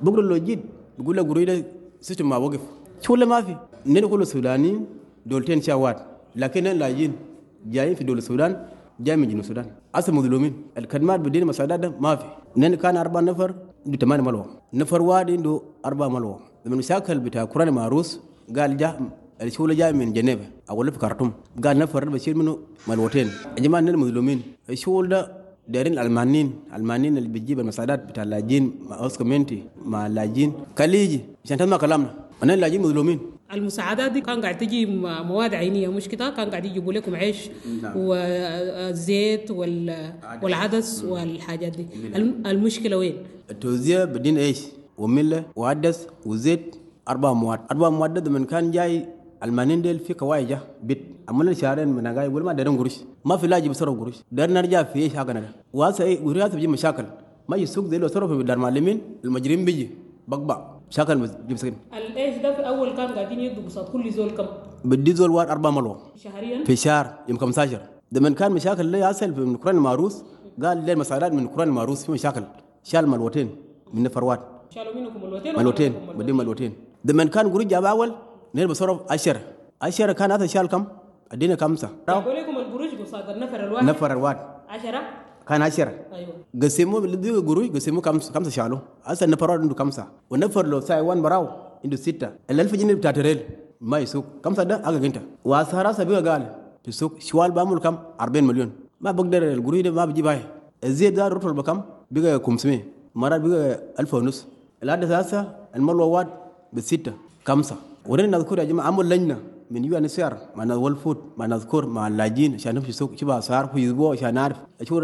بقول له جيت بقول له قري ده سيستم ما وقف شو ولا ما في نحن كله سودانيين دولتين شوات لكن اللاجئين جايين في دولة السودان جاي من جنوب السودان اصلا مظلومين. الخدمات بدين مساعدات ده ما في. نحن كان أربع نفر عنده ثمانية ملوه نفر واحد عنده أربع ملوه. من المشاكل بتاع كوران معروس قال جاء الشغل جاي من جنيف اقول في كرتوم. قال نفر بشيل منه ملوتين. يا جماعة اننا مظلومين. الشغل ده دايرين الالمانيين، الالمانيين اللي بتجيب المساعدات بتاع اللاجئين مع اوسكو مينتي مع اللاجئين خليجي عشان تسمع كلامنا. انا اللاجئين مظلومين. المساعدات دي كان قاعد تجي مواد عينيه مش كده؟ كان قاعد يجيبوا لكم عيش نعم. والزيت وال... والعدس والحاجات دي. المشكلة وين؟ التوزيع بدين عيش وملة وعدس وزيت، اربع مواد. اربع مواد من كان جاي المانين ديل في كوايجة بيت عملنا شهرين من جاي يقول ما دارين قروش، ما في لاجي بصرف قروش، دار نرجع في ايش حقنا ده. وهسه ايه قروش بيجي مشاكل، ما يسوق زي لو صرف في دار معلمين المجرم بيجي بقبع مشاكل بيجيب سكن. الايش ده في اول كان قاعدين يدوا قصاد كل زول كم؟ بدي زول وار أربعة ملوه شهريا في شهر يوم خمسة عشر. ده من كان مشاكل اللي عسل في من كوران الماروس، قال لي المساعدات من كوران الماروس في مشاكل، شال ملوتين من نفروات، شالوا منكم ملوتين ملوتين بدي ملوتين. ده من كان قروش جاب اول نير بصرف عشرة عشرة كان هذا شال كم؟ ادينا خمسة. جابوا لكم القروش قصاد النفر الواحد؟ نفر الواحد عشرة كان عشرة. ايوه قسموا اللي قروش قسموا خمسة، خمسة شالوا. هسه النفر عنده خمسة، والنفر لو ساي وان براو عنده ستة. الألف جنيه بتاعت ريل ما يسوق خمسة ده أقل انت. واسعار هسه بقى قال في السوق شوال بعمل كم؟ أربعين مليون. ما بقدر القروش ده ما بجيب هاي. الزيت ده رطل بكم؟ بقى خمسمية مرات بقى ألف ونص. العدس هسه الملوى واد بستة خمسة. ورينا نذكر يا جماعة عمل لجنة من UNHCR مع World Food مع نذكر مع اللاجئين عشان نمشي السوق شوف اسعار في اسبوع عشان نعرف شو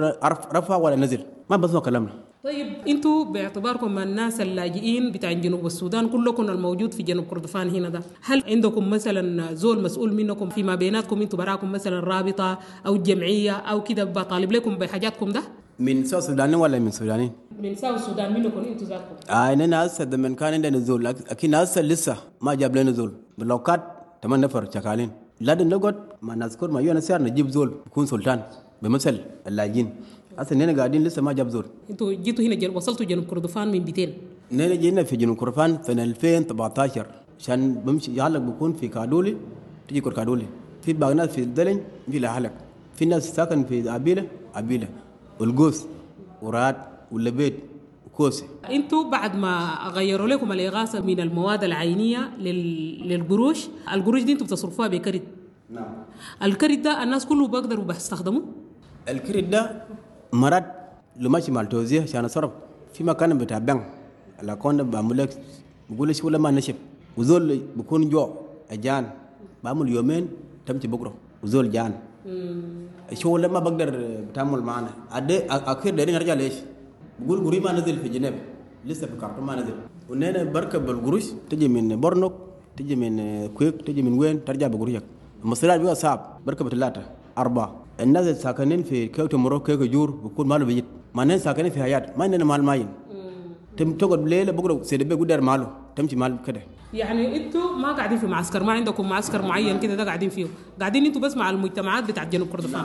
رفع ولا نزل. ما بسمع كلامنا. طيب انتوا باعتباركم الناس اللاجئين بتاع جنوب السودان كلكم الموجود في جنوب كردفان هنا ده، هل عندكم مثلا زول مسؤول منكم فيما بيناتكم انتوا براكم مثلا رابطه او جمعية او كده بطالب لكم بحاجاتكم ده؟ من South السودانيين ولا من السودانيين؟ من South السودان منكم انتوا ذاتكم. آه اننا هسه من كان عندنا زول، لكن هسه لسه ما جاب لنا زول. باللوكات ثمان نفر شغالين. لازم نقعد مع نذكر مع UNHCR نجيب زول يكون سلطان بمثل اللاجئين. هسه اننا قاعدين لسه ما جاب زول. انتوا جيتوا هنا جل... وصلتوا جنوب كردفان من بيتين؟ نحن جينا في جنوب كردفان سنة ألفين وسبعتاشر عشان بمشي يعلق بكون في كادولي تجي كور كادولي، في باقي ناس في الدلن في لحلق، في ناس ساكن في عبيلة عبيلة والقوس وراد واللبيت وكوسي. انتوا بعد ما غيروا لكم الإغاثة من المواد العينية لل... للقروش، القروش دي انتوا بتصرفوها بكرت. نعم. الكرت ده الناس كله بيقدروا بيستخدموه؟ الكرت ده مرات لو ماشي مع التوزيع عشان اصرف في مكان بتاع بنك الاكونت بعمل لك بقول شو لما نشف وزول بكون جوع اجان بعمل يومين تمشي بكره وزول جان شو لما بقدر بتعامل معنا أدي اخير دارين ارجع ليش بقول قري ما نزل في جنيف لسه في كارتوم ما نزل ونحن بركب القروش تجي من برنوك تجي من كويك تجي من وين ترجع بقروشك المصريات بيبقى صعب بركب ثلاثة أربعة. الناس الساكنين في كيوتو مرو كيوتو جور بكون ماله بيجي ما نحن ساكنين في حياة ما عندنا مال ماين تم تقعد ليلة بكرة سيد بيقدر قدر ماله تمشي مال كده. يعني انتوا ما قاعدين في معسكر، ما عندكم معسكر معين كده ده قاعدين فيه، قاعدين انتوا بس مع المجتمعات بتاعت جنوب كردفان.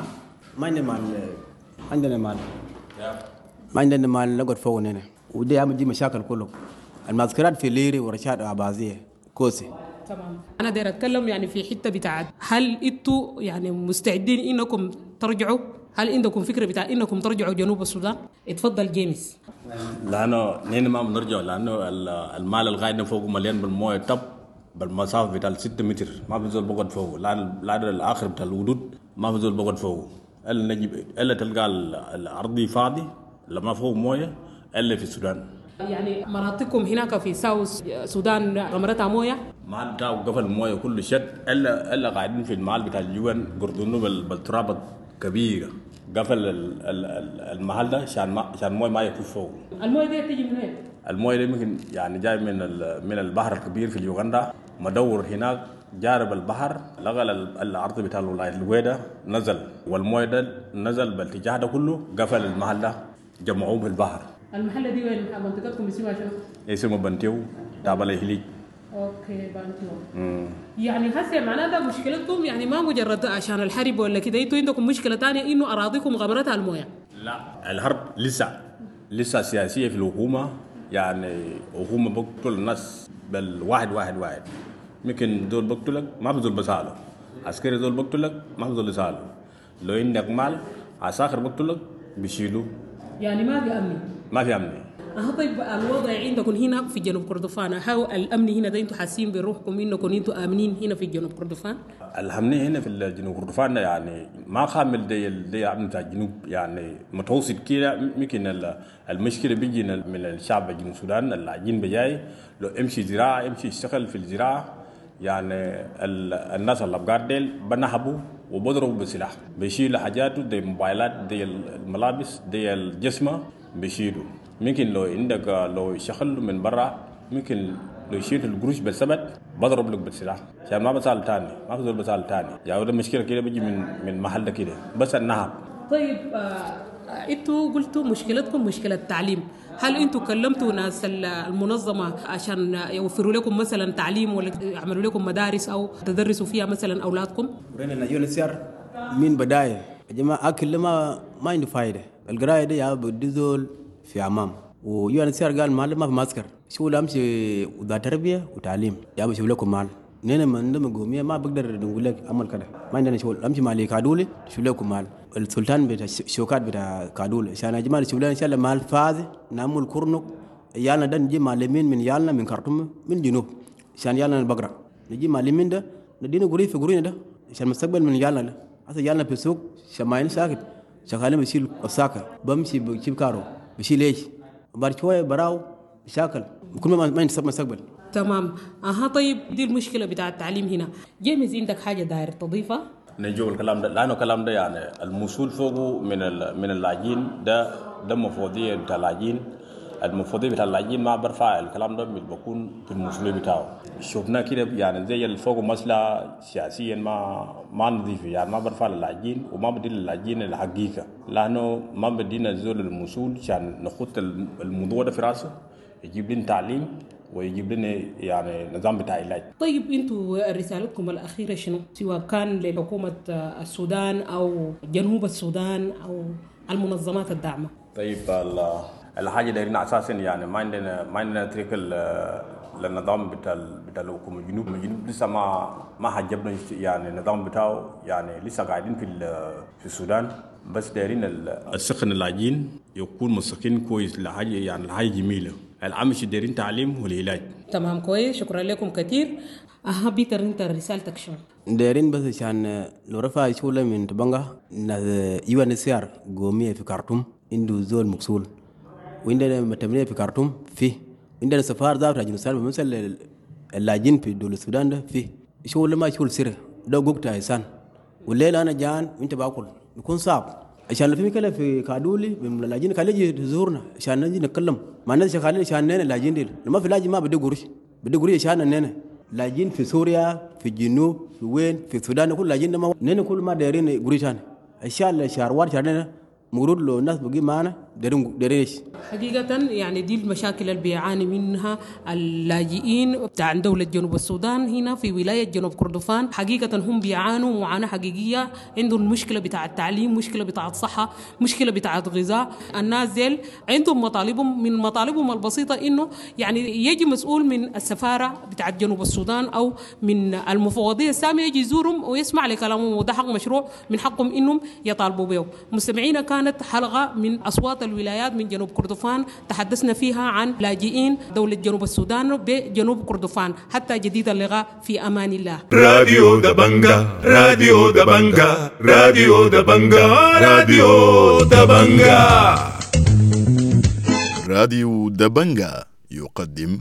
ما عندنا مال، عندنا مال ما عندنا مال نقعد فوق هنا ودي عم تجي مشاكل كله. المعسكرات في ليري ورشاد وعبازية كوسي. تمام. أنا داير أتكلم يعني في حتة بتاعت هل انتوا يعني مستعدين إنكم ترجعوا؟ هل عندكم فكرة بتاع إنكم ترجعوا جنوب السودان؟ اتفضل جيمس. لأنه نحن ما بنرجع لأنه المال الغايد فوق مليان بالموية طب بالمسافة بتاع ستة متر ما بنزول بقعد فوق، لا الآخر بتاع الودود ما بنزول بقعد فوق، إلا نجيب إلا تلقى الأرض فاضي لما فوق موية إلا في السودان. يعني مناطقكم هناك في ساوث السودان غمرتها مويه؟ ما بتاع قفل المويه كله شد الا الا قاعدين في المحل بتاع اليوان قردونه بالتراب كبيرة قفل المحل ده عشان ما عشان المويه ما يكون فوق. المويه دي تيجي من وين؟ المويه دي ممكن يعني جاي من من البحر الكبير في اليوغندا مدور هناك جارب البحر لغى الارض بتاع الولاية الويدا نزل والمويه ده نزل بالاتجاه ده كله قفل المحل ده جمعوه في البحر. المحلة دي وين؟ منطقتكم اسمها شنو؟ اسمه بنتيو تابع لهليج. okay بنتيو. امم يعني هسه معناه ده مشكلتكم يعني ما مجرد عشان الحرب ولا كده، انتوا عندكم مشكلة ثانية انه اراضيكم غمرتها المويه. لا الحرب لسه لسه سياسية في الحكومة، يعني حكومة بقتل الناس بالواحد واحد واحد، ممكن دول بقتلك ما بزول بساله، عسكري دول بقتلك ما بزول بساله، لو عندك مال عساكر بقتلك بيشيلوا. يعني ما في امن. ما في امن. أه طيب الوضع عندكم هنا في جنوب كردفان، هاو الأمن هنا ده انتم حاسين بروحكم انكم انتم آمنين هنا في جنوب كردفان؟ الأمن هنا في الجنوب كردفان يعني ما خامل دي دي أمن بتاع الجنوب، يعني متوسط كده. ممكن المشكلة بيجي من الشعب الجنوب السودان اللاجئين بجاي لو امشي زراعة، امشي اشتغل في الزراعة، يعني الناس اللي بقار ديل بنهبوا وبضربوا بسلاح، بيشيلوا حاجاته دي موبايلات دي الملابس دي الجسمة بيشيلوا. ممكن لو عندك لو شغل من برا ممكن لو شيلت القروش بالثبت بضرب لك بالسلاح، عشان ما بسال تاني، ما بزول بسال تاني. يعني ده مشكلة كده بيجي من من محل كده بس النهب. طيب آه انتوا قلتوا مشكلتكم مشكلة تعليم، هل انتوا كلمتوا ناس المنظمة عشان يوفروا لكم مثلا تعليم ولا يعملوا لكم مدارس او تدرسوا فيها مثلا اولادكم؟ ورينا UNHCR من بداية يا جماعة اكل ما ما عنده فايده، القراية دي يا بدي زول في امام، و UNHCR قال مال ما في معسكر، شو امشي وذا تربيه وتعليم يا بشوف لكم مال. نحن من عندنا قومية ما بقدر نقول لك عمل كده، ما عندنا شغل، امشي مع كادولي شوف لكم مال. السلطان بتاع الشوكات بتاع كادولي عشان يا جماعة شوف لنا ان شاء الله مال فاز نعمل كورنك يالنا ده نجي معلمين من يالنا من خرطوم من جنوب عشان يالنا البقرة نجي معلمين ده ندينا قري في قرينا ده عشان المستقبل من يالنا ده. هسه يالنا في السوق شماين ساكت شغالين بشيل الساكه بمشي بجيب كارو بشيل ايش بعد شوية براو بشاكل كل ما ما ينسب مستقبل. تمام. اها طيب دي المشكلة بتاع التعليم هنا. جيمس عندك حاجة داير تضيفها؟ نجيب الكلام ده لانه الكلام ده يعني الموصول فوقه من من اللاجئين ده ده مفوضيه بتاع اللاجئين، المفوضية بتاع اللاجئين ما برفع الكلام ده بيكون في المسؤولية بتاعه. شفنا كده يعني زي اللي فوقه مسألة سياسيا ما ما نظيفة، يعني ما برفع للاجئين وما بدي للاجئين الحقيقة، لانه ما بدينا الزول المسؤول عشان نخط الموضوع ده في راسه يجيب لنا تعليم ويجيب لنا يعني نظام بتاع علاج. طيب انتوا رسالتكم الاخيرة شنو؟ سواء كان لحكومة السودان او جنوب السودان او المنظمات الداعمة. طيب الحاجة دايرين اساسا يعني ما عندنا ما عندنا طريق للنظام بتاع بتاع الحكومة الجنوب، الجنوب لسه ما ما حجبنا يعني النظام بتاعه، يعني لسه قاعدين في في السودان، بس دايرين السخن اللاجئين يكون مسكين كويس لحاجة يعني الحاجة جميلة. العمش دايرين تعليم والعلاج. تمام كويس، شكرا لكم كثير. اها بيتر انت رسالتك شنو؟ دايرين بس عشان لو رفع شغله من تبنغا UNHCR قومية في خرطوم عنده زول مقصول، وعندنا متمنية في خرطوم فيه، عندنا سفارة ذات جنوب السودان مثل اللاجئين في دول السودان ده فيه شغل ما شغل سر ده قوقت إنسان والليل أنا جان وأنت باكل بيكون صعب. عشان لو في مشكلة في كادولي من اللاجئين خليه يجي يزورنا عشان نجي نتكلم مع الناس شغالين عشان نحن اللاجئين دي، لما في لاجئ ما بدي قروش بدي قروش عشان نحن لاجئين في سوريا في الجنوب في وين في السودان كل لاجئين ما نحن كل ما دايرين قروش عشان عشان الشهروات شهرنا مورود لو الناس بقي معنا دارين دارين. حقيقة يعني دي المشاكل اللي بيعاني منها اللاجئين بتاع دولة جنوب السودان هنا في ولاية جنوب كردفان. حقيقة هم بيعانوا معاناة حقيقية، عندهم مشكلة بتاع التعليم، مشكلة بتاع الصحة، مشكلة بتاع الغذاء. الناس ديل عندهم مطالبهم، من مطالبهم البسيطة إنه يعني يجي مسؤول من السفارة بتاع جنوب السودان أو من المفوضية السامية يجي يزورهم ويسمع لكلامهم، وده حق مشروع من حقهم إنهم يطالبوا به. مستمعينا كانت حلقة من أصوات الولايات من جنوب كردفان تحدثنا فيها عن لاجئين دولة جنوب السودان بجنوب كردفان. حتى جديد اللقاء، في أمان الله. راديو دبنجا، راديو دبنجا، راديو دبنجا، راديو دبنجا. راديو دبنجا يقدم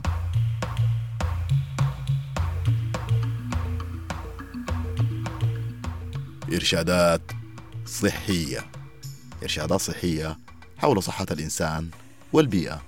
إرشادات صحية، إرشادات صحية حول صحة الإنسان والبيئة.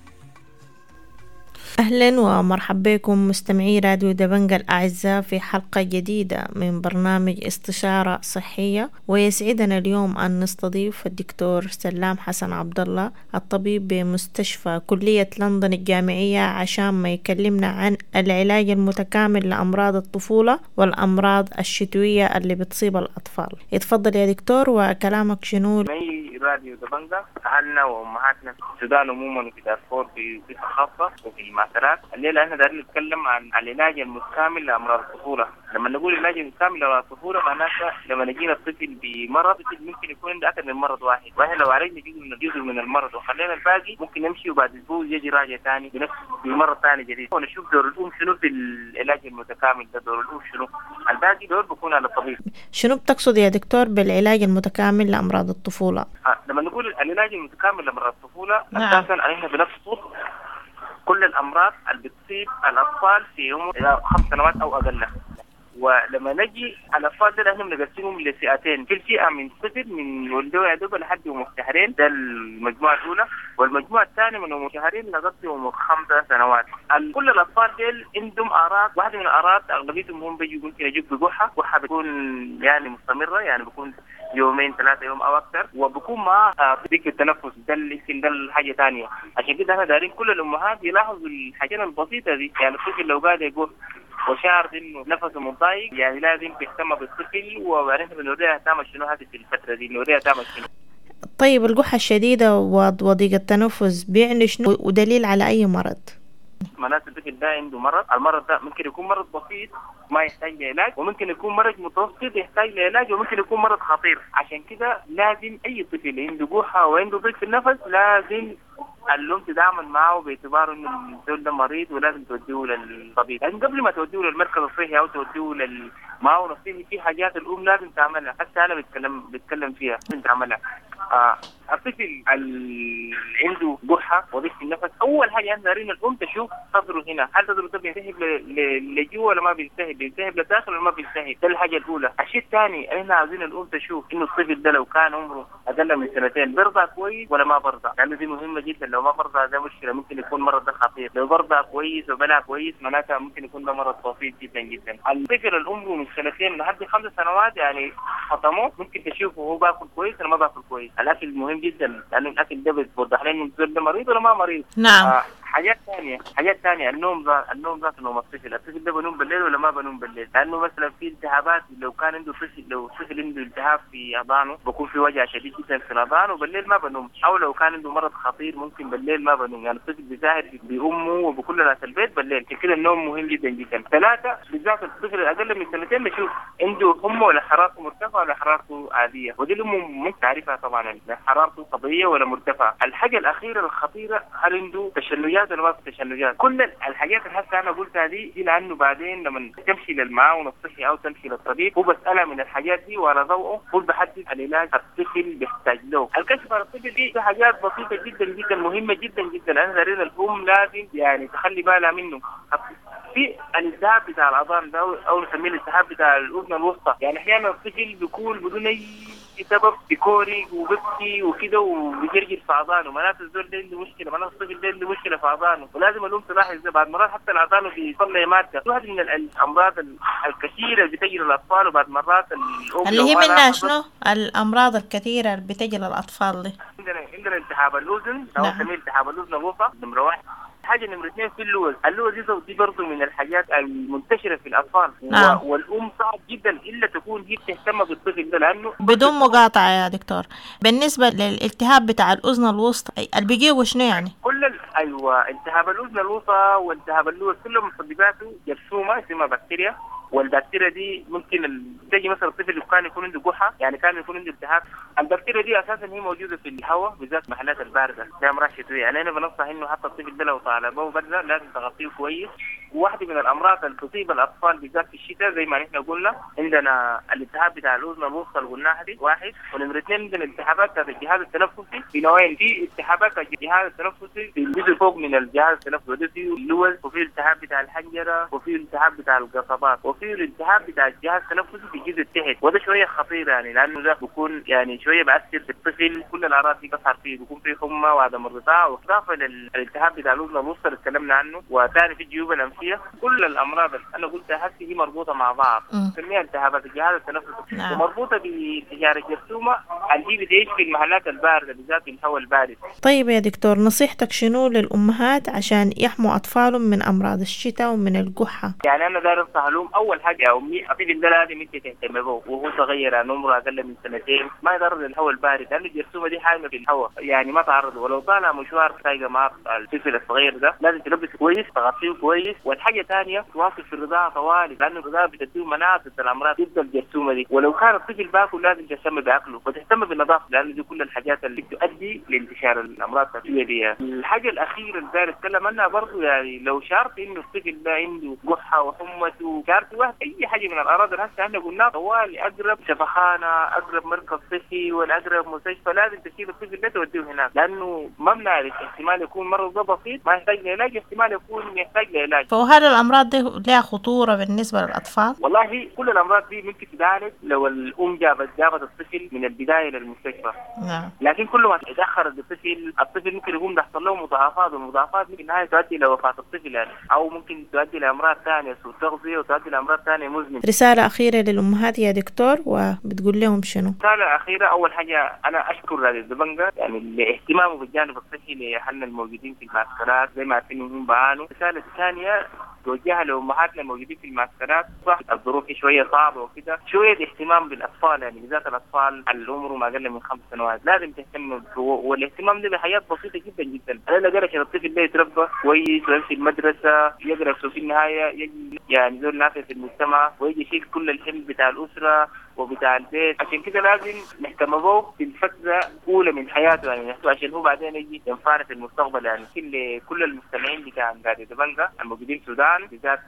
أهلا ومرحبا بكم مستمعي راديو دبنجا الأعزاء في حلقة جديدة من برنامج استشارة صحية، ويسعدنا اليوم أن نستضيف الدكتور سلام حسن عبد الله الطبيب بمستشفى كلية لندن الجامعية عشان ما يكلمنا عن العلاج المتكامل لأمراض الطفولة والأمراض الشتوية اللي بتصيب الأطفال. اتفضل يا دكتور، وكلامك شنو؟ أي في راديو دبنجا، أهلنا وأمهاتنا في السودان عموما وفي دارفور بصفة خاصة وفي المعسكرات. الليلة احنا دايرين نتكلم عن العلاج المتكامل لأمراض الطفولة. لما نقول العلاج المتكامل لأمراض الطفولة معناته لما نجينا الطفل بمرض، الطفل ممكن يكون عنده أكثر من مرض واحد، واحنا لو عالجنا جزء من جزء من المرض وخلينا الباقي ممكن يمشي وبعد أسبوع يجي راجع ثاني بنفس بمرض ثاني جديد. ونشوف دور الأم شنو في العلاج المتكامل ده، دور الأم شنو، الباقي دور بيكون على الطبيب. شنو بتقصد يا دكتور بالعلاج المتكامل لأمراض الطفولة؟ آه، لما نقول العلاج المتكامل لأمراض الطفولة نعم. أساسا احنا بنقصد كل الأمراض اللي بتصيب الأطفال في عمر خمس سنوات أو أقل. ولما نجي الأطفال دول احنا بنقسمهم لفئتين، في الفئة من صفر من ولدوا يا دوب لحد عمر شهرين، ده المجموعة الأولى، والمجموعة الثانية من عمر شهرين لغاية عمر خمسة سنوات. كل الأطفال دول عندهم أعراض، واحدة من الأعراض أغلبيتهم هم بيجوا ممكن يجوا بقحة، قحة بتكون يعني مستمرة، يعني بيكون يومين ثلاثة يوم أو أكثر، وبكون معاه ضيق التنفس، ده يمكن ده الحاجة ثانية. عشان كده احنا دارين كل الأمهات يلاحظوا الحاجات البسيطة دي، يعني الطفل لو قاعد يقول وشعر انه نفسه متضايق يعني لازم تهتم بالطفل، وبعدين بنوريها تعمل شنو هذه في الفترة دي، نوريها تعمل شنو. طيب القحة الشديدة وضيق التنفس بيعني شنو ودليل على أي مرض؟ معناته الطفل ده عنده مرض، المرض ده ممكن يكون مرض بسيط ما يحتاج لعلاج، وممكن يكون مرض متوسط يحتاج لعلاج، وممكن يكون مرض خطير. عشان كده لازم أي طفل عنده قحة وعنده ضيق في النفس لازم الأم تتعامل معه باعتباره إنه الزول ده مريض ولازم توديه للطبيب. لكن قبل ما توديه للمركز الصحي أو توديه للمعاون الصحي في حاجات الأم لازم تعملها، حتى أنا بتكلم بتكلم فيها لازم تعملها. آه الطفل اللي عنده قحة وضيق في النفس أول حاجة عندنا دارين الأم تشوف صدره هنا، هل صدره ده بينسحب لجوا ولا ما بينسحب، بينسحب لداخل ولا ما بينسحب، ده الحاجة الأولى. الشيء الثاني احنا عاوزين الأم تشوف إنه الطفل ده لو كان عمره أقل من سنتين برضع كويس ولا ما برضع، لأنه يعني دي مهمة جدا. لو ما برضع ده مشكلة، ممكن يكون مرض ده خطير. لو برضع كويس وبلع كويس معناتها ممكن يكون ده مرض بسيط جدا جدا. الطفل العمر من سنتين لحد خمس سنوات يعني خطموه ممكن تشوفه هو باكل كويس ولا ما باكل كويس. الاكل مهم جدا لانه الاكل ده بيوضح لنا انه ده مريض ولا ما مريض. نعم. آه حاجات ثانية، حاجات ثانية النوم ذات النوم ذات نوم الطفل، الطفل ده بنوم بالليل ولا ما بنوم بالليل؟ لانه مثلا في التهابات، لو كان عنده طفل لو طفل عنده التهاب في اذانه بكون في وجع شديد جدا في الاذان وبالليل ما بنوم، او لو كان عنده مرض خطير ممكن بالليل ما بنوم، يعني الطفل بيساهر بامه وبكل ناس البيت بالليل. عشان كده النوم مهم جدا جدا. ثلاثة بالذات الطفل الاقل من سنتين بشوف عنده حمى ولا حرارته مرتفعة ولا حرارته عادية، ودي الام ممكن تعرفها طبعا حرارته طبيعية ولا مرتفعة. الحاجة الاخيرة الخطيرة هل عنده تشنجات ولا ما في تشنجات؟ كل الحاجات اللي هسه انا قلتها دي دي لانه بعدين لما تمشي للمعاون الصحي او تمشي للطبيب هو بسالها من الحاجات دي وعلى ضوءه هو بحدد العلاج الطفل بيحتاج له. الكشف على الطفل دي حاجات بسيطة جدا جدا مهمة جدا جدا، انا دارين الام لازم يعني تخلي بالها منه. في الالتهاب بتاع الاذان ده او نسميه الالتهاب بتاع الاذن الوسطى، يعني احيانا الطفل بيكون بدون اي سبب بيكوري وبيبكي وكده وبيجرجر في اذانه، معناته الزول ده عنده مشكلة، معناته الطفل ده عنده مشكلة في اذانه، ولازم الام تلاحظ ده. بعد مرات حتى الاذان بيطلع مادة، واحد من الامراض الكثيرة اللي بتجي للاطفال، وبعد مرات الام اللي هي منها شنو الامراض الكثيرة اللي بتجي للاطفال دي؟ عندنا عندنا التهاب الاذن او نسميه التهاب الاذن الوسطى نمره واحد. حاجة نمره اثنين في اللوز، اللوز دي برضه من الحاجات المنتشرة في الاطفال. نعم. والام صعب جدا الا تكون هي بتهتم بالطفل ده لانه بدون مقاطعه يا دكتور. بالنسبة للالتهاب بتاع الاذن الوسطى اللي بيجيبه شنو يعني؟ كل ال... ايوه التهاب الاذن الوسطى والتهاب اللوز كلهم مسبباته جرثومة اسمها بكتيريا، والبكتيريا دي ممكن تجي مثلا الطفل كان يكون عنده قحه، يعني كان يكون عنده التهاب. البكتيريا دي اساسا هي موجودة في الهواء بالذات محلات البارده زي امراض شتوية، يعني انا بنصح انه حتى الطفل ده لو طالبه برده لازم تغطيه كويس. وواحدة من الامراض اللي تصيب الاطفال بالذات في الشتاء زي ما نحن قلنا عندنا الالتهاب بتاع الاذن الوسطى اللي قلناها دي واحد، ونمره اثنين عندنا التهابات بتاعت الجهاز التنفسي في نوعين، في التهابات الجهاز التنفسي في الجزء فوق من الجهاز التنفسي وده فيه اللوز، وفي التهاب بتاع الحنجرة، وفي التهاب بتاع القصبات، وفي الالتهاب بتاع الجهاز التنفسي في الجزء التحت، وده شوية خطير يعني لانه ده بيكون يعني شوية بأثر في الطفل، كل الاعراض دي بتظهر فيه، بيكون فيه حمى وعدم الرضاعة، واضافه للالتهاب بتاع الاذن الوسطى اللي تكلمنا عنه، وثاني في الجيوب الانفيه. كل الامراض اللي انا قلتها هسه هي مربوطة مع بعض، نسميها التهابات الجهاز التنفسي. نعم. ومربوطه بانتشار الجرثومه اللي بتعيش في المحلات البارده بالذات في الهواء البارد. طيب يا دكتور نصيحتك شنو للامهات عشان يحموا اطفالهم من امراض الشتاء ومن القحه؟ يعني انا داير انصح لهم اول حاجة يا امي الطفل ده لازم انت تهتم به وهو صغير، يعني عمره اقل من سنتين، ما يتعرض للهواء البارد لانه الجرثومه دي حامية في الهواء، يعني ما تعرض. ولو طالع مشوار سايقه مع الطفل الصغير ده لازم تلبسه كويس، تغطيه كويس. والحاجة الثانية تواصل في الرضاعة طوالي لانه الرضاعة بتديه مناعة ضد الامراض ضد الجرثومه دي. ولو كان الطفل باكل لازم تهتم باكله وتهتم بالنظافة لانه دي كل الحاجات اللي بتؤدي لانتشار الامراض التنفسية دي. الحاجة الاخيرة اللي داير اتكلم عنها برضه، يعني لو شعرت انه الطفل ده عنده قحه وحمته، شعرت واحد اي حاجة من الاعراض اللي هسه احنا قلناها، طوالي اقرب شفخانه، اقرب مركز صحي، ولا اقرب مستشفى لازم تشيل الطفل ده توديه هناك، لانه ما بنعرف احتمال يكون مرض ده بسيط ما يحتاج لعلاج، احتمال يكون يحتاج لعلاج. فهل الامراض دي لها خطورة بالنسبة للاطفال؟ والله كل الامراض دي ممكن تتعالج لو الام جابت جابت الطفل من البداية للمستشفى. نعم. لكن كل ما تاخر الطفل، الطفل ممكن يكون بيحصل له مضاعفات، والمضاعفات ممكن النهاية تؤدي لوفاه الطفل يعني، او ممكن تؤدي لامراض ثانية، سوء تغذية، وتؤدي لامراض ثانية مزمنة. رسالة اخيرة للامهات يا دكتور، وبتقول لهم شنو؟ رسالة اخيرة، اول حاجة انا اشكر راديو دبنجا يعني لاهتمامه بالجانب الصحي لاهلنا الموجودين في المعسكرات، زي ما عارفين انهم بعانوا. الرسالة الثانية توجهها لامهاتنا الموجودين في المعسكرات، صح الظروف شوية صعبة وكده، شوية اهتمام بالاطفال يعني بالذات الاطفال اللي عمرهم اقل من خمس سنوات لازم تهتم، والاهتمام ده بحاجات بسيطة جدا جدا. على الاقل عشان الطفل ده يتربى كويس ويمشي المدرسة يقرا، في النهاية يجي يعني زول نافع في المجتمع ويجي يشيل كل الحمل بتاع الاسرة وبتاع البيت. عشان كده لازم نهتم به في الفترة الاولى من حياته يعني، عشان هو بعدين يجي ينفعنا في المستقبل يعني. كل كل المستمعين بتاع راديو دبنجا الموجودين في السودان، بالذات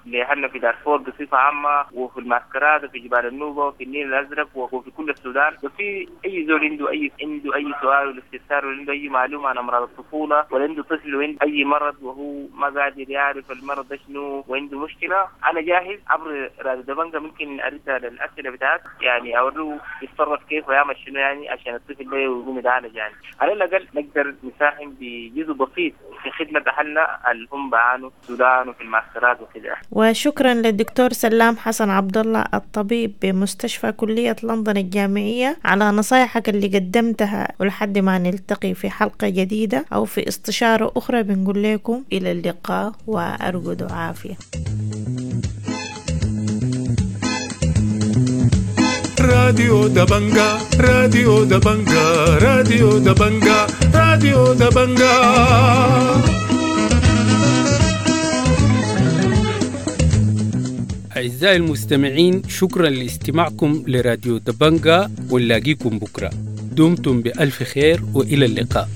لاهلنا في دارفور بصفة عامة، وفي المعسكرات وفي جبال النوبة وفي النيل الازرق وفي كل السودان، وفي اي زول عنده اي عنده اي سؤال ولا استفسار ولا عنده اي معلومة عن امراض الطفولة، ولا عنده طفل وعنده اي مرض وهو ما قادر يعرف المرض ده شنو وعنده مشكلة، انا جاهز عبر راديو دبنجا ممكن ارد على الاسئلة بتاعت يعني، اوريه يتصرف كيف ويعمل شنو يعني عشان الطفل ده يقوم يتعالج يعني. على الاقل نقدر نساهم بجزء بسيط في خدمة اهلنا اللي هم بعانوا في السودان وفي المعسكرات وكده. وشكرا للدكتور سلام حسن عبد الله الطبيب بمستشفى كليه لندن الجامعية على نصايحك اللي قدمتها، ولحد ما نلتقي في حلقة جديدة او في استشاره اخرى بنقول لكم الى اللقاء وارجو عافية. راديو دبنجا، راديو دبنجا، راديو دبنجا، راديو دبنجا. أعزائي المستمعين، شكرا لاستماعكم لراديو دبنجا، ونلاقيكم بكرة. دمتم بألف خير وإلى اللقاء.